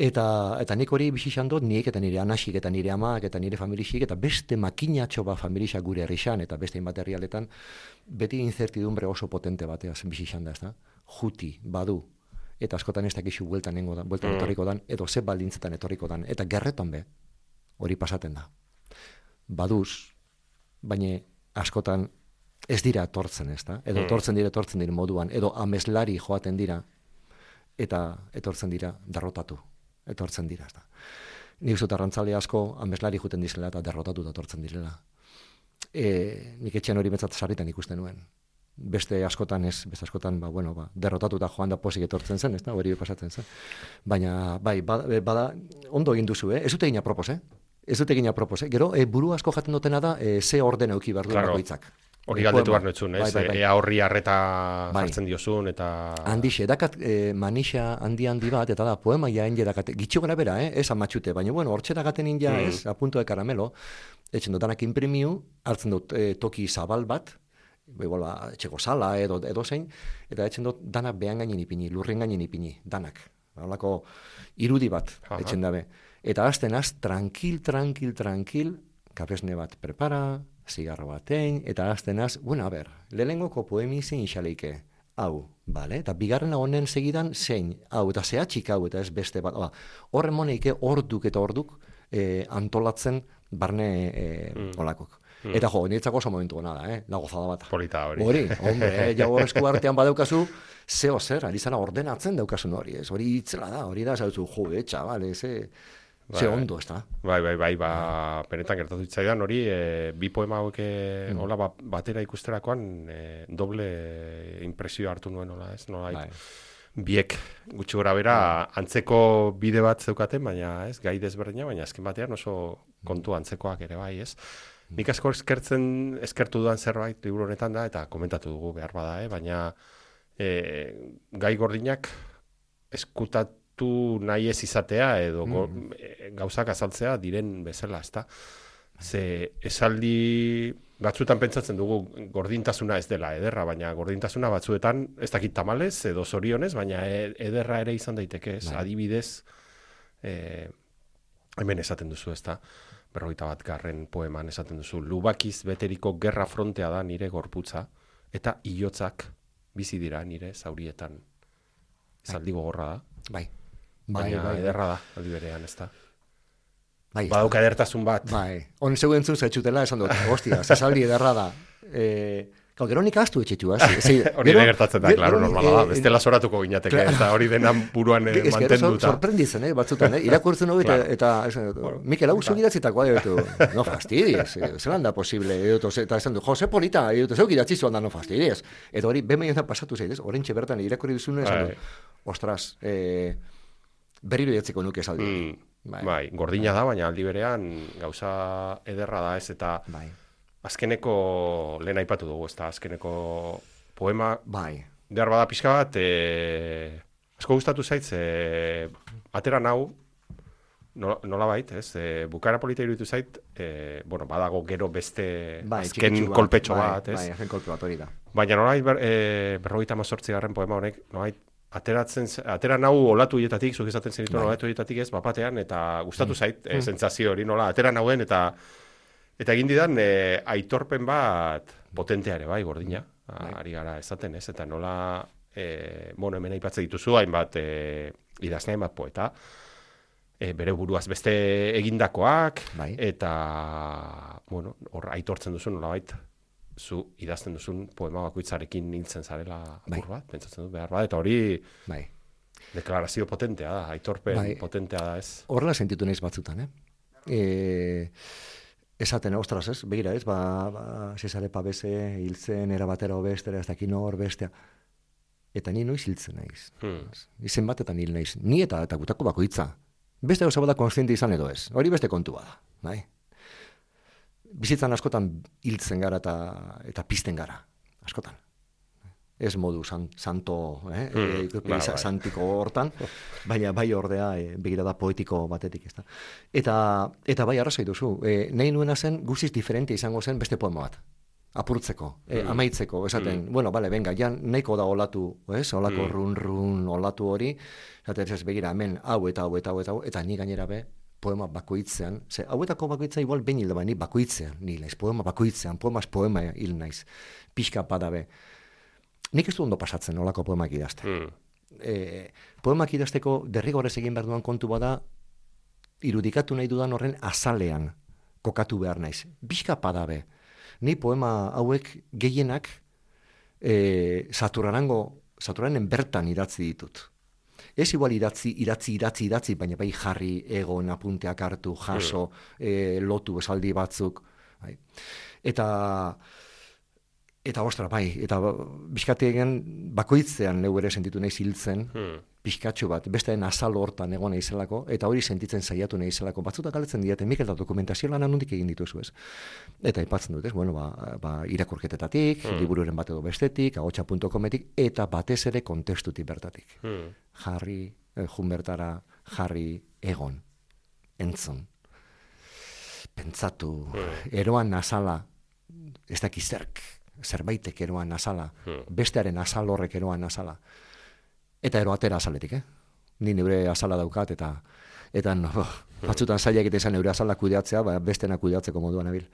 Eta, eta nik hori bizizan dut, nik eta nire anasik eta nire amak eta nire familixik, eta beste makinatxo bat familixak gure herrixan, eta beste inbat herrialetan, beti incertidumbre oso potente bateaz bizizan da, ez da? Juti, badu, eta askotan ez dakizu bueltan nengo dan, bueltan etorriko dan, edo ze baldintzetan etorriko dan, eta gerretan be, hori pasaten da. Baduz, baina askotan ez dira etortzen, ez da? Edo etortzen dira, etortzen dira moduan, edo ameslari joaten dira, eta etortzen dira derrotatu, etortzen dira, ez da? Nik zut arrantzale asko ameslari joaten dizela eta derrotatu da etortzen direla. E, nik etxean hori betzat sarritan ikusten nuen. Beste askotan ez, beste askotan, ba, bueno, ba, derrotatu da joan da posik etortzen zen, ez da? Hori pasatzen zen. Baina, bai, bada, bada ondo egin duzu, eh? Ez dute egin apropos, eh? Ez dute egin apropos, eh? Gero, e, buru asko jaten dutena da, e, ze orden euki behar du
claro.
bakoitzak.
Hori galdetu behar nuetzun, ez? Bai, bai, bai. Ea horri harreta
bai.
jartzen diozun, eta...
Handixe, dakat e, manixa handi-handi bat, eta da, poema jaen jedakat, gitxo gara bera, eh? Ez amatxute, baina, bueno, hortxe dagaten inja, mm. ez, a punto de karamelo, etxen dut, danak imprimiu, hartzen dut e, toki zabal bat, igual, etxeko sala, edo, edo zein, eta etxen dut, danak behan gainin ipini, lurren gainin ipini, danak. Halako irudi bat, Aha. etxen dabe. Eta azten az, tranquil, tranquil, tranquil, kapesne bat prepara, zigarro batein, eta aztenaz, bueno, a ber, lehengoko poemi zein xaleike, hau, bale? Eta bigarren honen segidan zein, hau, eta zehatxik hau, eta ez beste bat, horren moneike orduk eta orduk eh, antolatzen barne eh, mm. olakok. Mm. Eta jo, niretzako oso momentu gona da, eh? La gozada bat.
Polita hori.
Hori, hombre, eh, jau esku artean badaukazu, zeo zer, alizana ordenatzen daukasun hori, ez? Hori itzela da, hori da, zautu, jo, etxa, bale, ze... Bai, ze ondo, ez da?
Bai, bai, bai, ba, benetan gertatu itzaidan hori, e, bi poema hauek mm. hola, ba, batera ikusterakoan e, doble impresio hartu nuen, hola, ez? Nola, bai. Biek gutxi gora bera antzeko bide bat zeukaten, baina ez, gai desberdina, baina azken batean oso kontu antzekoak ere bai, ez? Nik asko eskertzen, eskertu dudan zerbait liburu honetan da, eta komentatu dugu behar bada, eh? Baina e, gai gordinak eskutat tu nahi ez izatea edo mm. gauzak azaltzea diren bezala, ezta? Ze esaldi batzuetan pentsatzen dugu gordintasuna ez dela ederra, baina gordintasuna batzuetan ez dakit tamalez edo zorionez, baina ederra ere izan daiteke, ez? Adibidez, e, hemen esaten duzu, ezta? Berrogeita bat garren poeman esaten duzu, lubakiz beteriko gerra frontea da nire gorputza, eta hilotzak bizi dira nire zaurietan. Esaldi gogorra da.
Bai.
Baina
bai, bai,
ederra da, aldi berean, ez da.
Bai,
badauka edertasun bat.
Bai, hon zegoen zuen zaitxutela esan dut, hostia, zesaldi ederra da. Eh, Kau, gero nik astu etxetu, hasi.
Hori ere gertatzen da, klaro, normala da. Bestela soratuko gineateke, ez da hori denan buruan eh, mantenduta.
Sorprenditzen, eh, batzutan, eh? Irakurtzen hori, claro. eta, eta bueno, Mikel, hau zuk idatzitakoa, edo, no fastidies, zelan da posible, edo, eta esan du, Jose Polita, edo, zeuk idatzizuan da, no fastidies. Eta hori, behin pasatu zaitez, horrentxe bertan irakurri duzune, esan du, ostras, eh, berriro idatziko nuke esaldi.
Mm, bai, bai, gordina bai. da, baina aldi berean gauza ederra da, ez, eta... Bai. Azkeneko lehen aipatu dugu, ez da, azkeneko poema,
bai.
behar bada pixka bat, e, asko gustatu zaitz, e, atera nau, nola, nola bait, ez, e, bukaera polita iruditu zait, e, bueno, badago gero beste
bai,
azken
bat,
kolpetxo
bai,
bat, ez?
Bai, azken kolpe bat hori da.
Baina nolait, ber, e, berrogeita mazortzi garren poema honek, nolait, ateratzen, atera nau olatu hietatik, zuk esaten zenitu bai. olatu hietatik ez, bapatean, eta gustatu mm. zait, e, sentsazio hori, nola, atera nauen, eta Eta egin didan, e, aitorpen bat potentea ere, bai, gordina. Bai. Ari gara esaten, ez? Eta nola, e, bueno, hemen aipatzen dituzu, hainbat, e, idazle hainbat poeta. e, bere buruaz beste egindakoak,
bai.
eta, bueno, hor aitortzen duzu nolabait, zu idazten duzun poema bakoitzarekin hiltzen zarela
bai.
apur bat, pentsatzen dut behar bat, eta hori
bai.
deklarazio potentea da, aitorpen
bai.
potentea da ez.
Horrela sentitu naiz batzutan, eh? E, esaten, ostras, ez? Begira, ez? Ba, ba Cesare Pavese hiltzen, era batera obestera, ez dakin hor bestea. Eta ni noiz hiltzen naiz.
Hmm.
Izen batetan hil naiz. Ni eta, eta gutako bakoitza. Beste gauza bada konstiente izan edo ez. Hori beste kontua da. Bai? Bizitzan askotan hiltzen gara eta, eta pizten gara. Askotan. Ez modu san, santo, eh?
Hmm,
e,
ba,
sa,
bai.
santiko hortan, baina bai ordea e, begirada poetiko batetik, ez da. Eta, eta bai arrazoi duzu, e, nahi nuena zen guztiz diferente izango zen beste poema bat. Apurtzeko, e,
Hmm.
amaitzeko, esaten, bueno, bale, venga, ja nahiko da olatu, ez? Olako
Hmm.
run-run olatu hori, esaten ez begira, hemen, hau eta hau eta hau eta hau, eta ni gainera be, poema bakoitzean, ze hauetako bakoitza igual behin hilda, ni bakoitzean, ni naiz, poema bakoitzean, poemas poema hil naiz, pixka padabe. Nik ez du ondo pasatzen olako poemak idazten.
Hmm.
E, poemak idazteko derrigorrez egin behar duan kontu bada, irudikatu nahi dudan horren azalean kokatu behar naiz. Pixka padabe. Ni poema hauek gehienak e, Saturarango, Saturanen bertan idatzi ditut. Ez igual idatzi, idatzi, idatzi, idatzi, baina bai jarri, egon, apunteak hartu, jaso, e, lotu esaldi batzuk. Bai. Eta... Eta ostra, bai, eta bizkategen bakoitzean neu ere sentitu nahi hiltzen,
Hmm.
pixkatxo bat, bestearen azal hortan egon naizelako, eta hori sentitzen saiatu naizelako. Batzutak galetzen diate, Mikel, da dokumentazio lana nondik egin dituzu ez. Eta aipatzen dut, ez, bueno, ba, ba, irakurketetatik,
Hmm.
libururen bat edo bestetik, agotxa puntu cometik, eta batez ere kontestutik bertatik.
Hmm.
Jarri, eh, jun bertara, jarri, egon, entzun, pentsatu,
Hmm.
eroan azala, ez dakizerk, zerbaitek eroan azala,
Hmm.
bestearen azal horrek eroan azala. Eta ero atera azaletik, eh? Ni neure azala daukat, eta eta no, batzutan zailak eta izan neure azala kudeatzea, ba, bestena kudeatzeko moduan abil.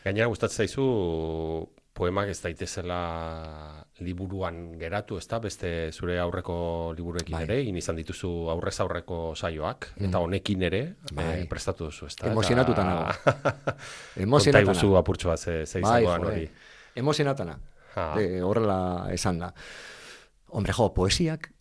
Gainera gustatzen zaizu poemak ez daitezela liburuan geratu, ezta? Beste zure aurreko liburuekin
Bai.
ere, egin izan dituzu aurrez aurreko saioak, eta honekin ere
Bai.
eh, prestatu duzu, ezta?
Emozionatuta nago.
Konta
Emozionatana.
iguzu apurtxo bat ze, ze
Bai,
izangoan
jode.
hori.
Emozionatana.
Ah.
E, horrela esan da. Hombre, jo, poesiak,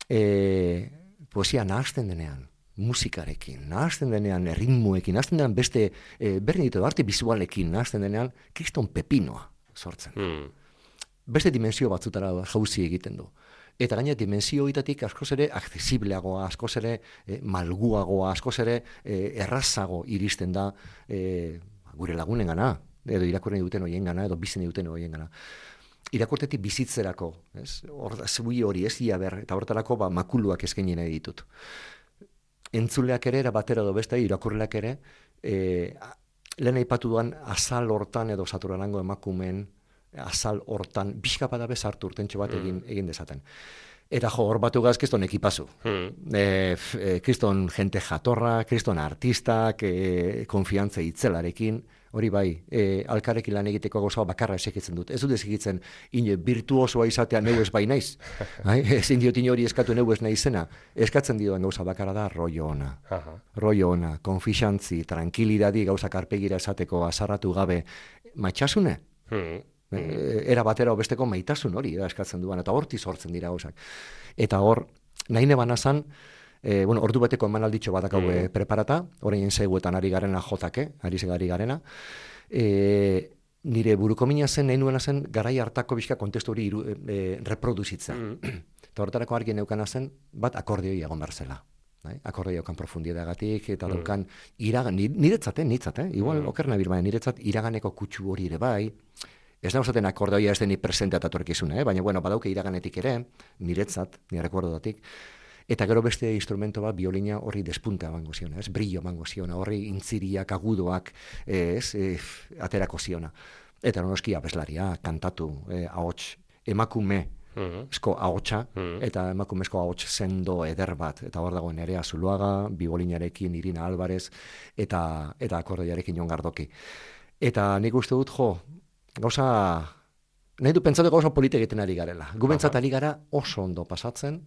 e, poesia nahazten denean, musikarekin, nahazten denean, erritmuekin, nahazten denean beste, e, berdin ditu, arte bizualekin, nahazten denean, kriston pepinoa sortzen.
Hmm.
Beste dimensio batzutara jauzi egiten du. Eta gaina dimensio horietatik askoz ere accesibleagoa, askoz ere e, malguagoa, askoz ere e, errazago iristen da e, gure lagunen gana, edo irakurren duten horien gana, edo bizen duten horien gana. Irakurtetik bizitzerako, ez? Hor, zebui hori ez ia ber, eta horretarako ba, makuluak eskaini nahi ditut. Entzuleak ere, era batera edo beste, irakurleak ere, e, lehen aipatu duan azal hortan edo Saturanango emakumeen azal hortan, bizkapa da bezartu urtentxo bat egin, egin dezaten. Eta jo, hor batu gaz, kriston ekipazu.
Hmm.
E, f, e, kriston jente jatorra, kriston artistak, e, konfiantza itzelarekin, hori bai, e, alkarrekin lan egiteko gauza bakarra esekitzen dut. Ez dut esekitzen, ine, virtuosoa izatea neu ez bai naiz. Hai? Ezin diot ine hori eskatu neu ez naizena. Eskatzen dioan gauza bakarra da rollo ona.
Aha.
Rollo ona, konfixantzi, tranquilidadi gauzak arpegira esateko azarratu gabe, matxasune?
Hmm.
E, era batera besteko maitasun hori da eskatzen duan, eta horti sortzen dira gauzak. Eta hor, nahi neban azan, e, bueno, ordu beteko emanalditxo bat dakau
Mm.
preparata, orain zeguetan ari garena jotake, ari zegari garena, e, nire buruko mina zen, nahi nuena zen, garai hartako bizka kontestu hori iru, e, reproduzitza.
Mm.
Eta horretarako argi neukana zen, bat akordeoi egon behar zela. Bai? Akordoi daukan profundiedagatik, eta
Mm.
daukan iragan, niretzat, eh, niretzat, eh? igual
Mm.
oker nabil, baina niretzat iraganeko kutsu hori ere bai. Ez da usaten akordeoia ez deni presente atatorkizuna, eh? Baina, bueno, badauke iraganetik ere, niretzat, nire rekordotatik, eta gero beste instrumento bat, biolina horri despunta emango ziona, ez? Brillo emango ziona, horri intziriak, agudoak, ez? E, aterako ziona. Eta noski abeslaria, kantatu, eh, ahots, emakume,
Mhm.
esko ahotsa,
Mhm.
eta emakumezko ahots sendo eder bat, eta hor dago Nerea Zuluaga, biolinarekin Irina Alvarez, eta, eta akordeoiarekin Jon Gardoki. Eta nik uste dut, jo, gauza, nahi du pentsatu gauza polite egiten ari garela. Gu bentsat ari gara oso ondo pasatzen,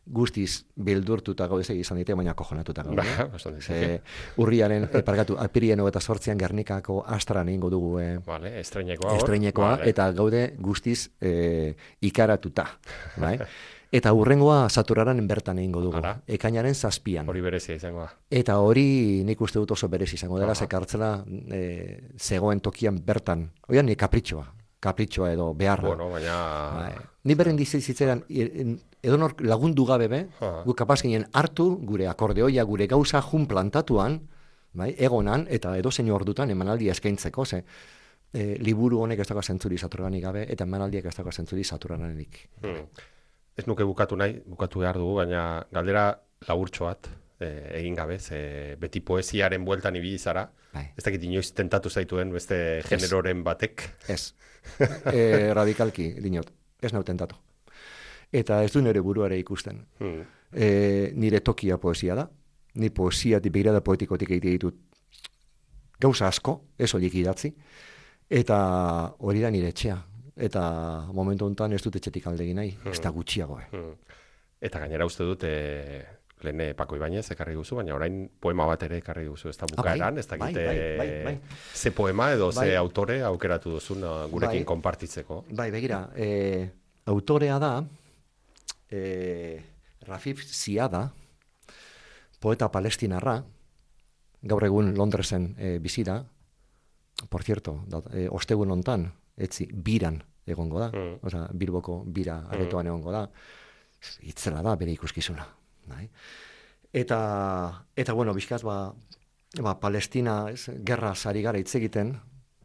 guztiz bildurtuta gaude izan dite, baina kojonatuta gaude.
Ba,
e, urriaren, e, pargatu, apirien hogeta sortzian Gernikako Astran egingo dugu e,
vale, estreinekoa,
estreinekoa
vale.
Eta gaude guztiz e, ikaratuta. Bai? Eta hurrengoa Saturaren bertan egingo dugu,
Ara.
ekainaren zazpian.
Hori berezia izango da.
Eta hori nik uste dut oso berez izango dela,
Aha.
ze kartzela e, zegoen tokian bertan. Oian, ni kapritxoa, kapritxoa edo beharra.
Bueno, baina...
Bai. Ni beren dizitzeran, edonor lagundu gabe be,
Aha.
gu kapaz ginen hartu gure akordeoia, gure gauza jun plantatuan, bai, egonan, eta edozein ordutan emanaldia eskaintzeko, ze e, liburu honek ez dago zentzuri Saturnalik gabe, eta emanaldiak ez dago zentzuri Saturnalik.
Hmm. Ez nuke bukatu nahi, bukatu behar dugu, baina galdera laburtxo bat eh, egin gabe, ze beti poesiaren bueltan ibili zara.
Bai.
Ez dakit inoiz tentatu zaituen beste generoren batek.
Ez. E, radikalki, dinot, ez nau tentatu. Eta ez du nire buruare ikusten.
Hmm.
E, nire tokia poesia da. Ni poesia begirada poetikotik egite ditut gauza asko, ez horiek idatzi. Eta hori da nire etxea. Eta momentu honetan ez dut etxetik aldegin nahi, ez da gutxiago. Eh.
Hmm. Eta gainera uste dut, e, lehen Paco Ibañez ekarri duzu, baina orain poema bat ere ekarri duzu, ez da bukaeran, ez da
bai,
gite
bai, bai, bai.
ze poema edo
Bai.
ze autore aukeratu duzun uh, gurekin
Bai.
konpartitzeko.
Bai, begira, e, autorea da, e, Rafif Ziada, poeta palestinarra, gaur egun Londresen e, bizi da, por cierto, da, e, ostegun hontan, etzi, biran egongo da,
Mm.
osea, Bilboko bira aretoan egongo da, itzela da bere ikuskizuna. Bai? Eta, eta bueno, bizkaz, ba, ba, Palestina, ez, gerra ari gara hitz egiten,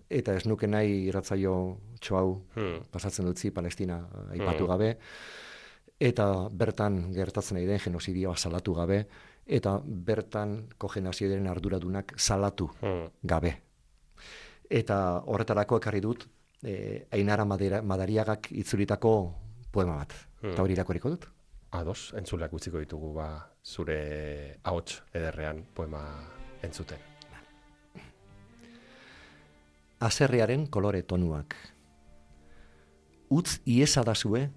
eta ez nuke nahi irratzaio txoau
Hmm.
pasatzen dutzi Palestina aipatu
Mm.
gabe, eta bertan gertatzen ari den genozidioa salatu gabe, eta bertan kogenazioaren arduradunak salatu
Hmm.
gabe. Eta horretarako ekarri dut, e, Ainara Madera, Madariagak itzulitako poema bat.
Hmm.
Eta hori irakurriko dut.
Ados, entzuleak utziko ditugu ba, zure ahots ederrean poema entzuten.
Azerrearen kolore tonuak. Utz iezadazue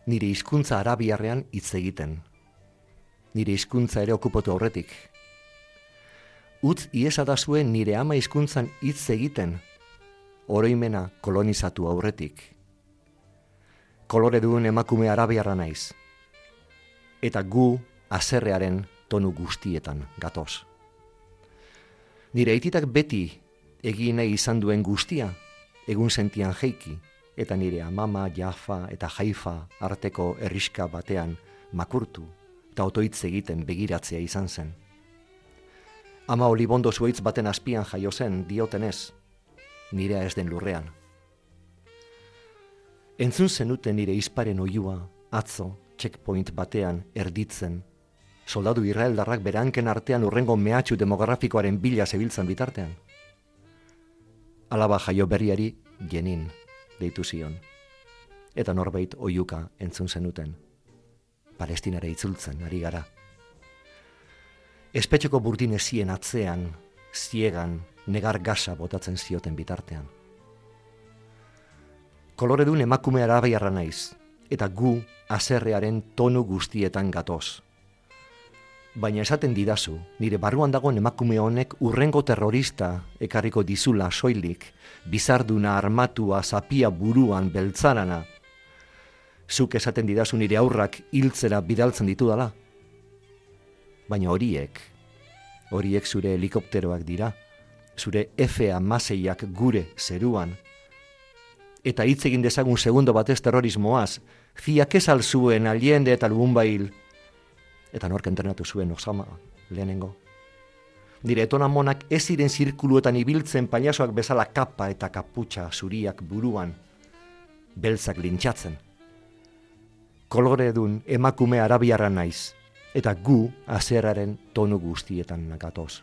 nire hizkuntza arabiarrean hitz egiten. Nire hizkuntza ere okupatu aurretik. Utz iezadazue nire ama hizkuntzan hitz egiten, oroimena kolonizatu aurretik. Kolore duen emakume arabiarra naiz. Eta gu azerrearen tonu guztietan gatoz. Nire aititak beti egin nahi izan duen guztia, egun sentian jeiki, eta nire amama, Jafa eta Haifa arteko herriska batean makurtu, eta otoitz egiten begiratzea izan zen. Ama olibondo zuaitz baten azpian jaio zen diotenez, nirea ez den lurrean. Entzun zenuten nire izparen oiua, atzo, checkpoint batean erditzen, soldadu israeldarrak beranken artean urrengo mehatxu demografikoaren bila zebiltzan bitartean. Alaba jaio berriari Jenin deitu zion, eta norbait oiuka entzun zenuten. Palestinara itzultzen ari gara. Espetxeko burdin ezien atzean, ziegan, negar gasa botatzen zioten bitartean. Koloredun emakume arabiarra naiz, eta gu azerrearen tonu guztietan gatoz. Baina esaten didazu, nire barruan dagoen emakume honek urrengo terrorista ekarriko dizula soilik, bizarduna armatua zapia buruan beltzarana. Zuk esaten didazu nire aurrak hiltzera bidaltzen ditudala. Baina horiek, horiek zure helikopteroak dira, zure F hamaseiak gure zeruan. Eta hitz egin dezagun segundo batez terrorismoaz, ziak ez alzuen aliende eta lubunbail, eta nork entrenatu zuen Osama lehenengo. Nire etonamonak ez ziren zirkuluetan ibiltzen pailazoak bezala kapa eta kaputxa zuriak buruan, beltzak lintxatzen. Koloredun emakume arabiarra naiz, eta gu azerraren tonu guztietan gatoz.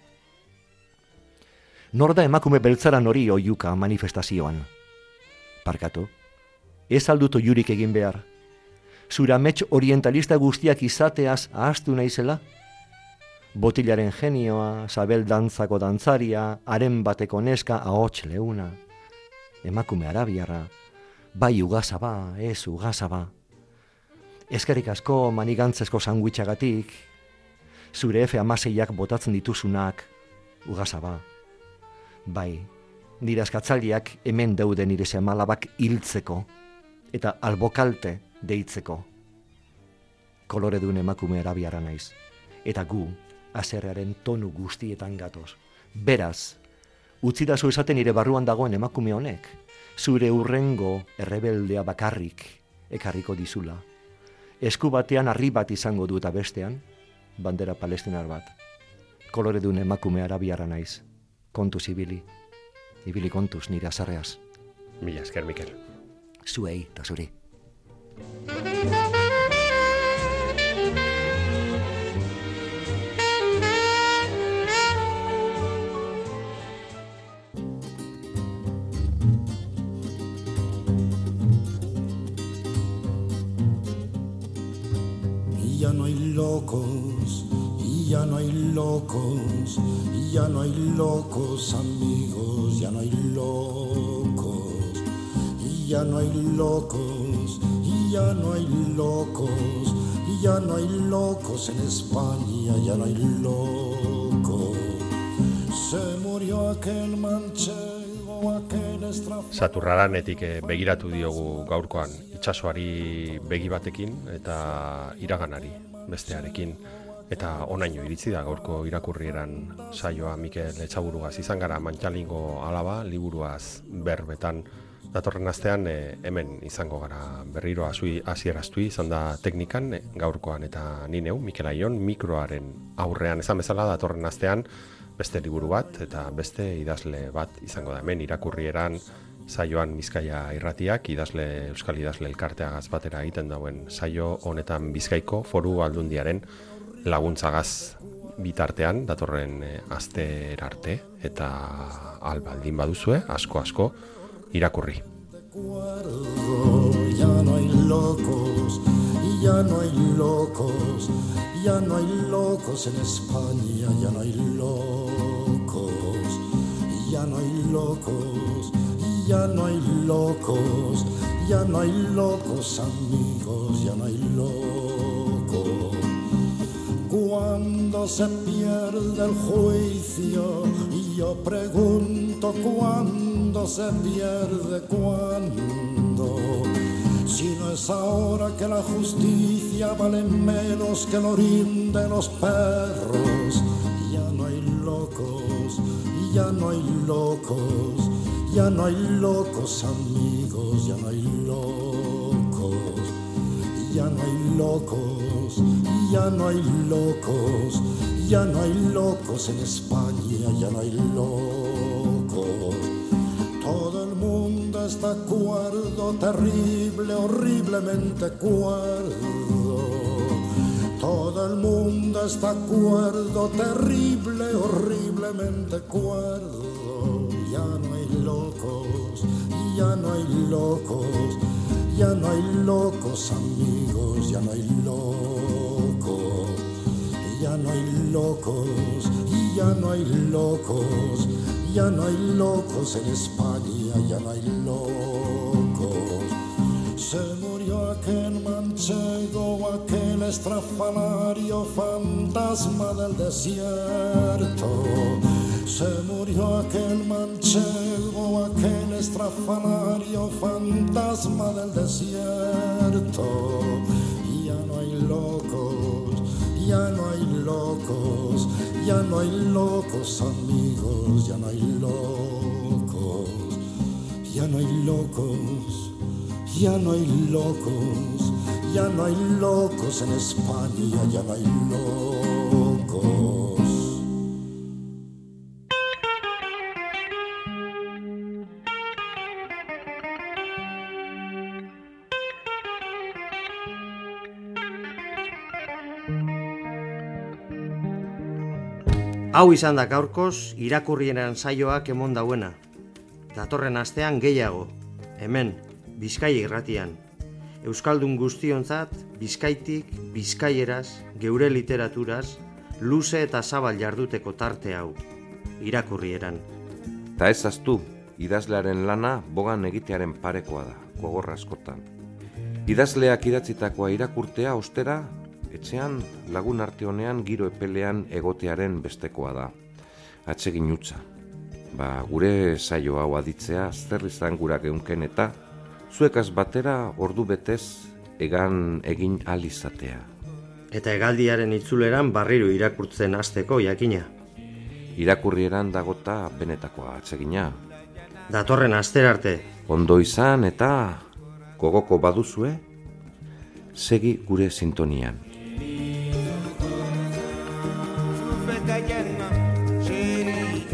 Nor da emakume beltzaran hori oiuka manifestazioan? Parkatu, ez aldut oiurik egin behar. Zura amets orientalista guztiak izateaz ahaztu naizela? Botilaren genioa, sabel dantzako dantzaria, haren bateko neska, ahots leuna. Emakume arabiarra, bai ugazaba, ez ugazaba. Eskerrik asko manigantzezko sandwichagatik, zure F amaseiak botatzen dituzunak, ugazaba. Bai, nire askatzaliak hemen daude nire semalabak hiltzeko, eta albokalte deitzeko. Koloredun emakume arabiara naiz, eta gu, haserrearen tonu guztietan gatoz. Beraz, utzidazu esaten nire barruan dagoen emakume honek, zure urrengo errebeldea bakarrik ekarriko dizula. Esku batean harri bat izango du eta bestean, bandera palestinar bat. Koloredun emakume arabiara naiz, kontuz ibili, ibili kontuz nire azarreaz.
Mila esker, Mikel.
Zuei eta zuri.
Ya no hay locos, y ya no hay locos, y ya no hay locos amigos, ya no hay locos, y ya no hay locos, y ya no hay locos, y ya no hay locos en España, ya no hay locos. Se murió aquel manchego, aquel estrafado.
Saturraranetik eh, begiratu diogu gaurkoan itsasoari begi batekin eta iraganari bestearekin. Eta onaino iritsi da gaurko irakurrieran saioa Mikel Etxaburugaz izan gara Mantxalingo alaba liburuaz berbetan. Datorren astean e, hemen izango gara berriro hasieraztu izan da teknikan e, gaurkoan eta ni neu Mikel Aion mikroaren aurrean esan bezala datorren astean beste liburu bat eta beste idazle bat izango da hemen irakurrieran saioan Bizkaia Irratiak idazle Euskal Idazle Elkarteagaz batera egiten dauen saio honetan Bizkaiko Foru Aldundiaren laguntzagaz bitartean datorren e, astera arte eta albaldin baduzue asko asko irakurri.
Ya no hay locos, ya no hay locos, ya no hay locos en España, ya no hay locos, ya no hay locos, ya no hay locos, ya no hay locos amigos, ya no hay locos. Cuando se pierde el juicio, y yo pregunto cuándo se pierde, cuándo. Si no es ahora que la justicia vale menos que el orín de los perros. Ya no hay locos, ya no hay locos, ya no hay locos amigos, ya no hay locos, ya no hay locos, ya no hay locos, ya no hay locos en España, ya no hay locos. Todo el mundo está cuerdo, terrible, horriblemente cuerdo. Todo el mundo está cuerdo, terrible, horriblemente cuerdo. Ya no hay locos, ya no hay locos, ya no hay locos amigos, ya no hay locos, ya no hay locos, ya no hay locos, ya no hay locos en España, ya no hay locos. Se murió aquel manchego, aquel estrafalario fantasma del desierto. Se murió aquel manchego, aquel estrafalario fantasma del desierto. Ya no hay locos, ya no hay locos, ya no hay locos amigos, ya no hay locos, ya no hay locos, ya no hay locos, ya no hay locos en España, ya no hay locos.
Hau izan da gaurkoz irakurrieran saioak emon dauena. Datorren astean gehiago, hemen, Bizkaia Irratian. Euskaldun guztionzat, Bizkaitik, Bizkaieraz, geure literaturaz, luze eta zabal jarduteko tarte hau, irakurrieran.
Ta ez aztu, idazlearen lana bogan egitearen parekoa da, gogorra askotan. Idazleak idatzitakoa irakurtea ostera, etxean lagun arte honean giro epelean egotearen bestekoa da. Atsegin hutsa. Ba, gure saio hau aditzea zer izan gura geunken eta zuekaz batera ordu betez egan egin ahal izatea.
Eta hegaldiaren itzuleran barriro irakurtzen hasteko jakina.
Irakurrieran dagota benetakoa atsegina.
Datorren astera arte.
Ondo izan eta gogoko baduzue, segi gure sintonian.
Chérie,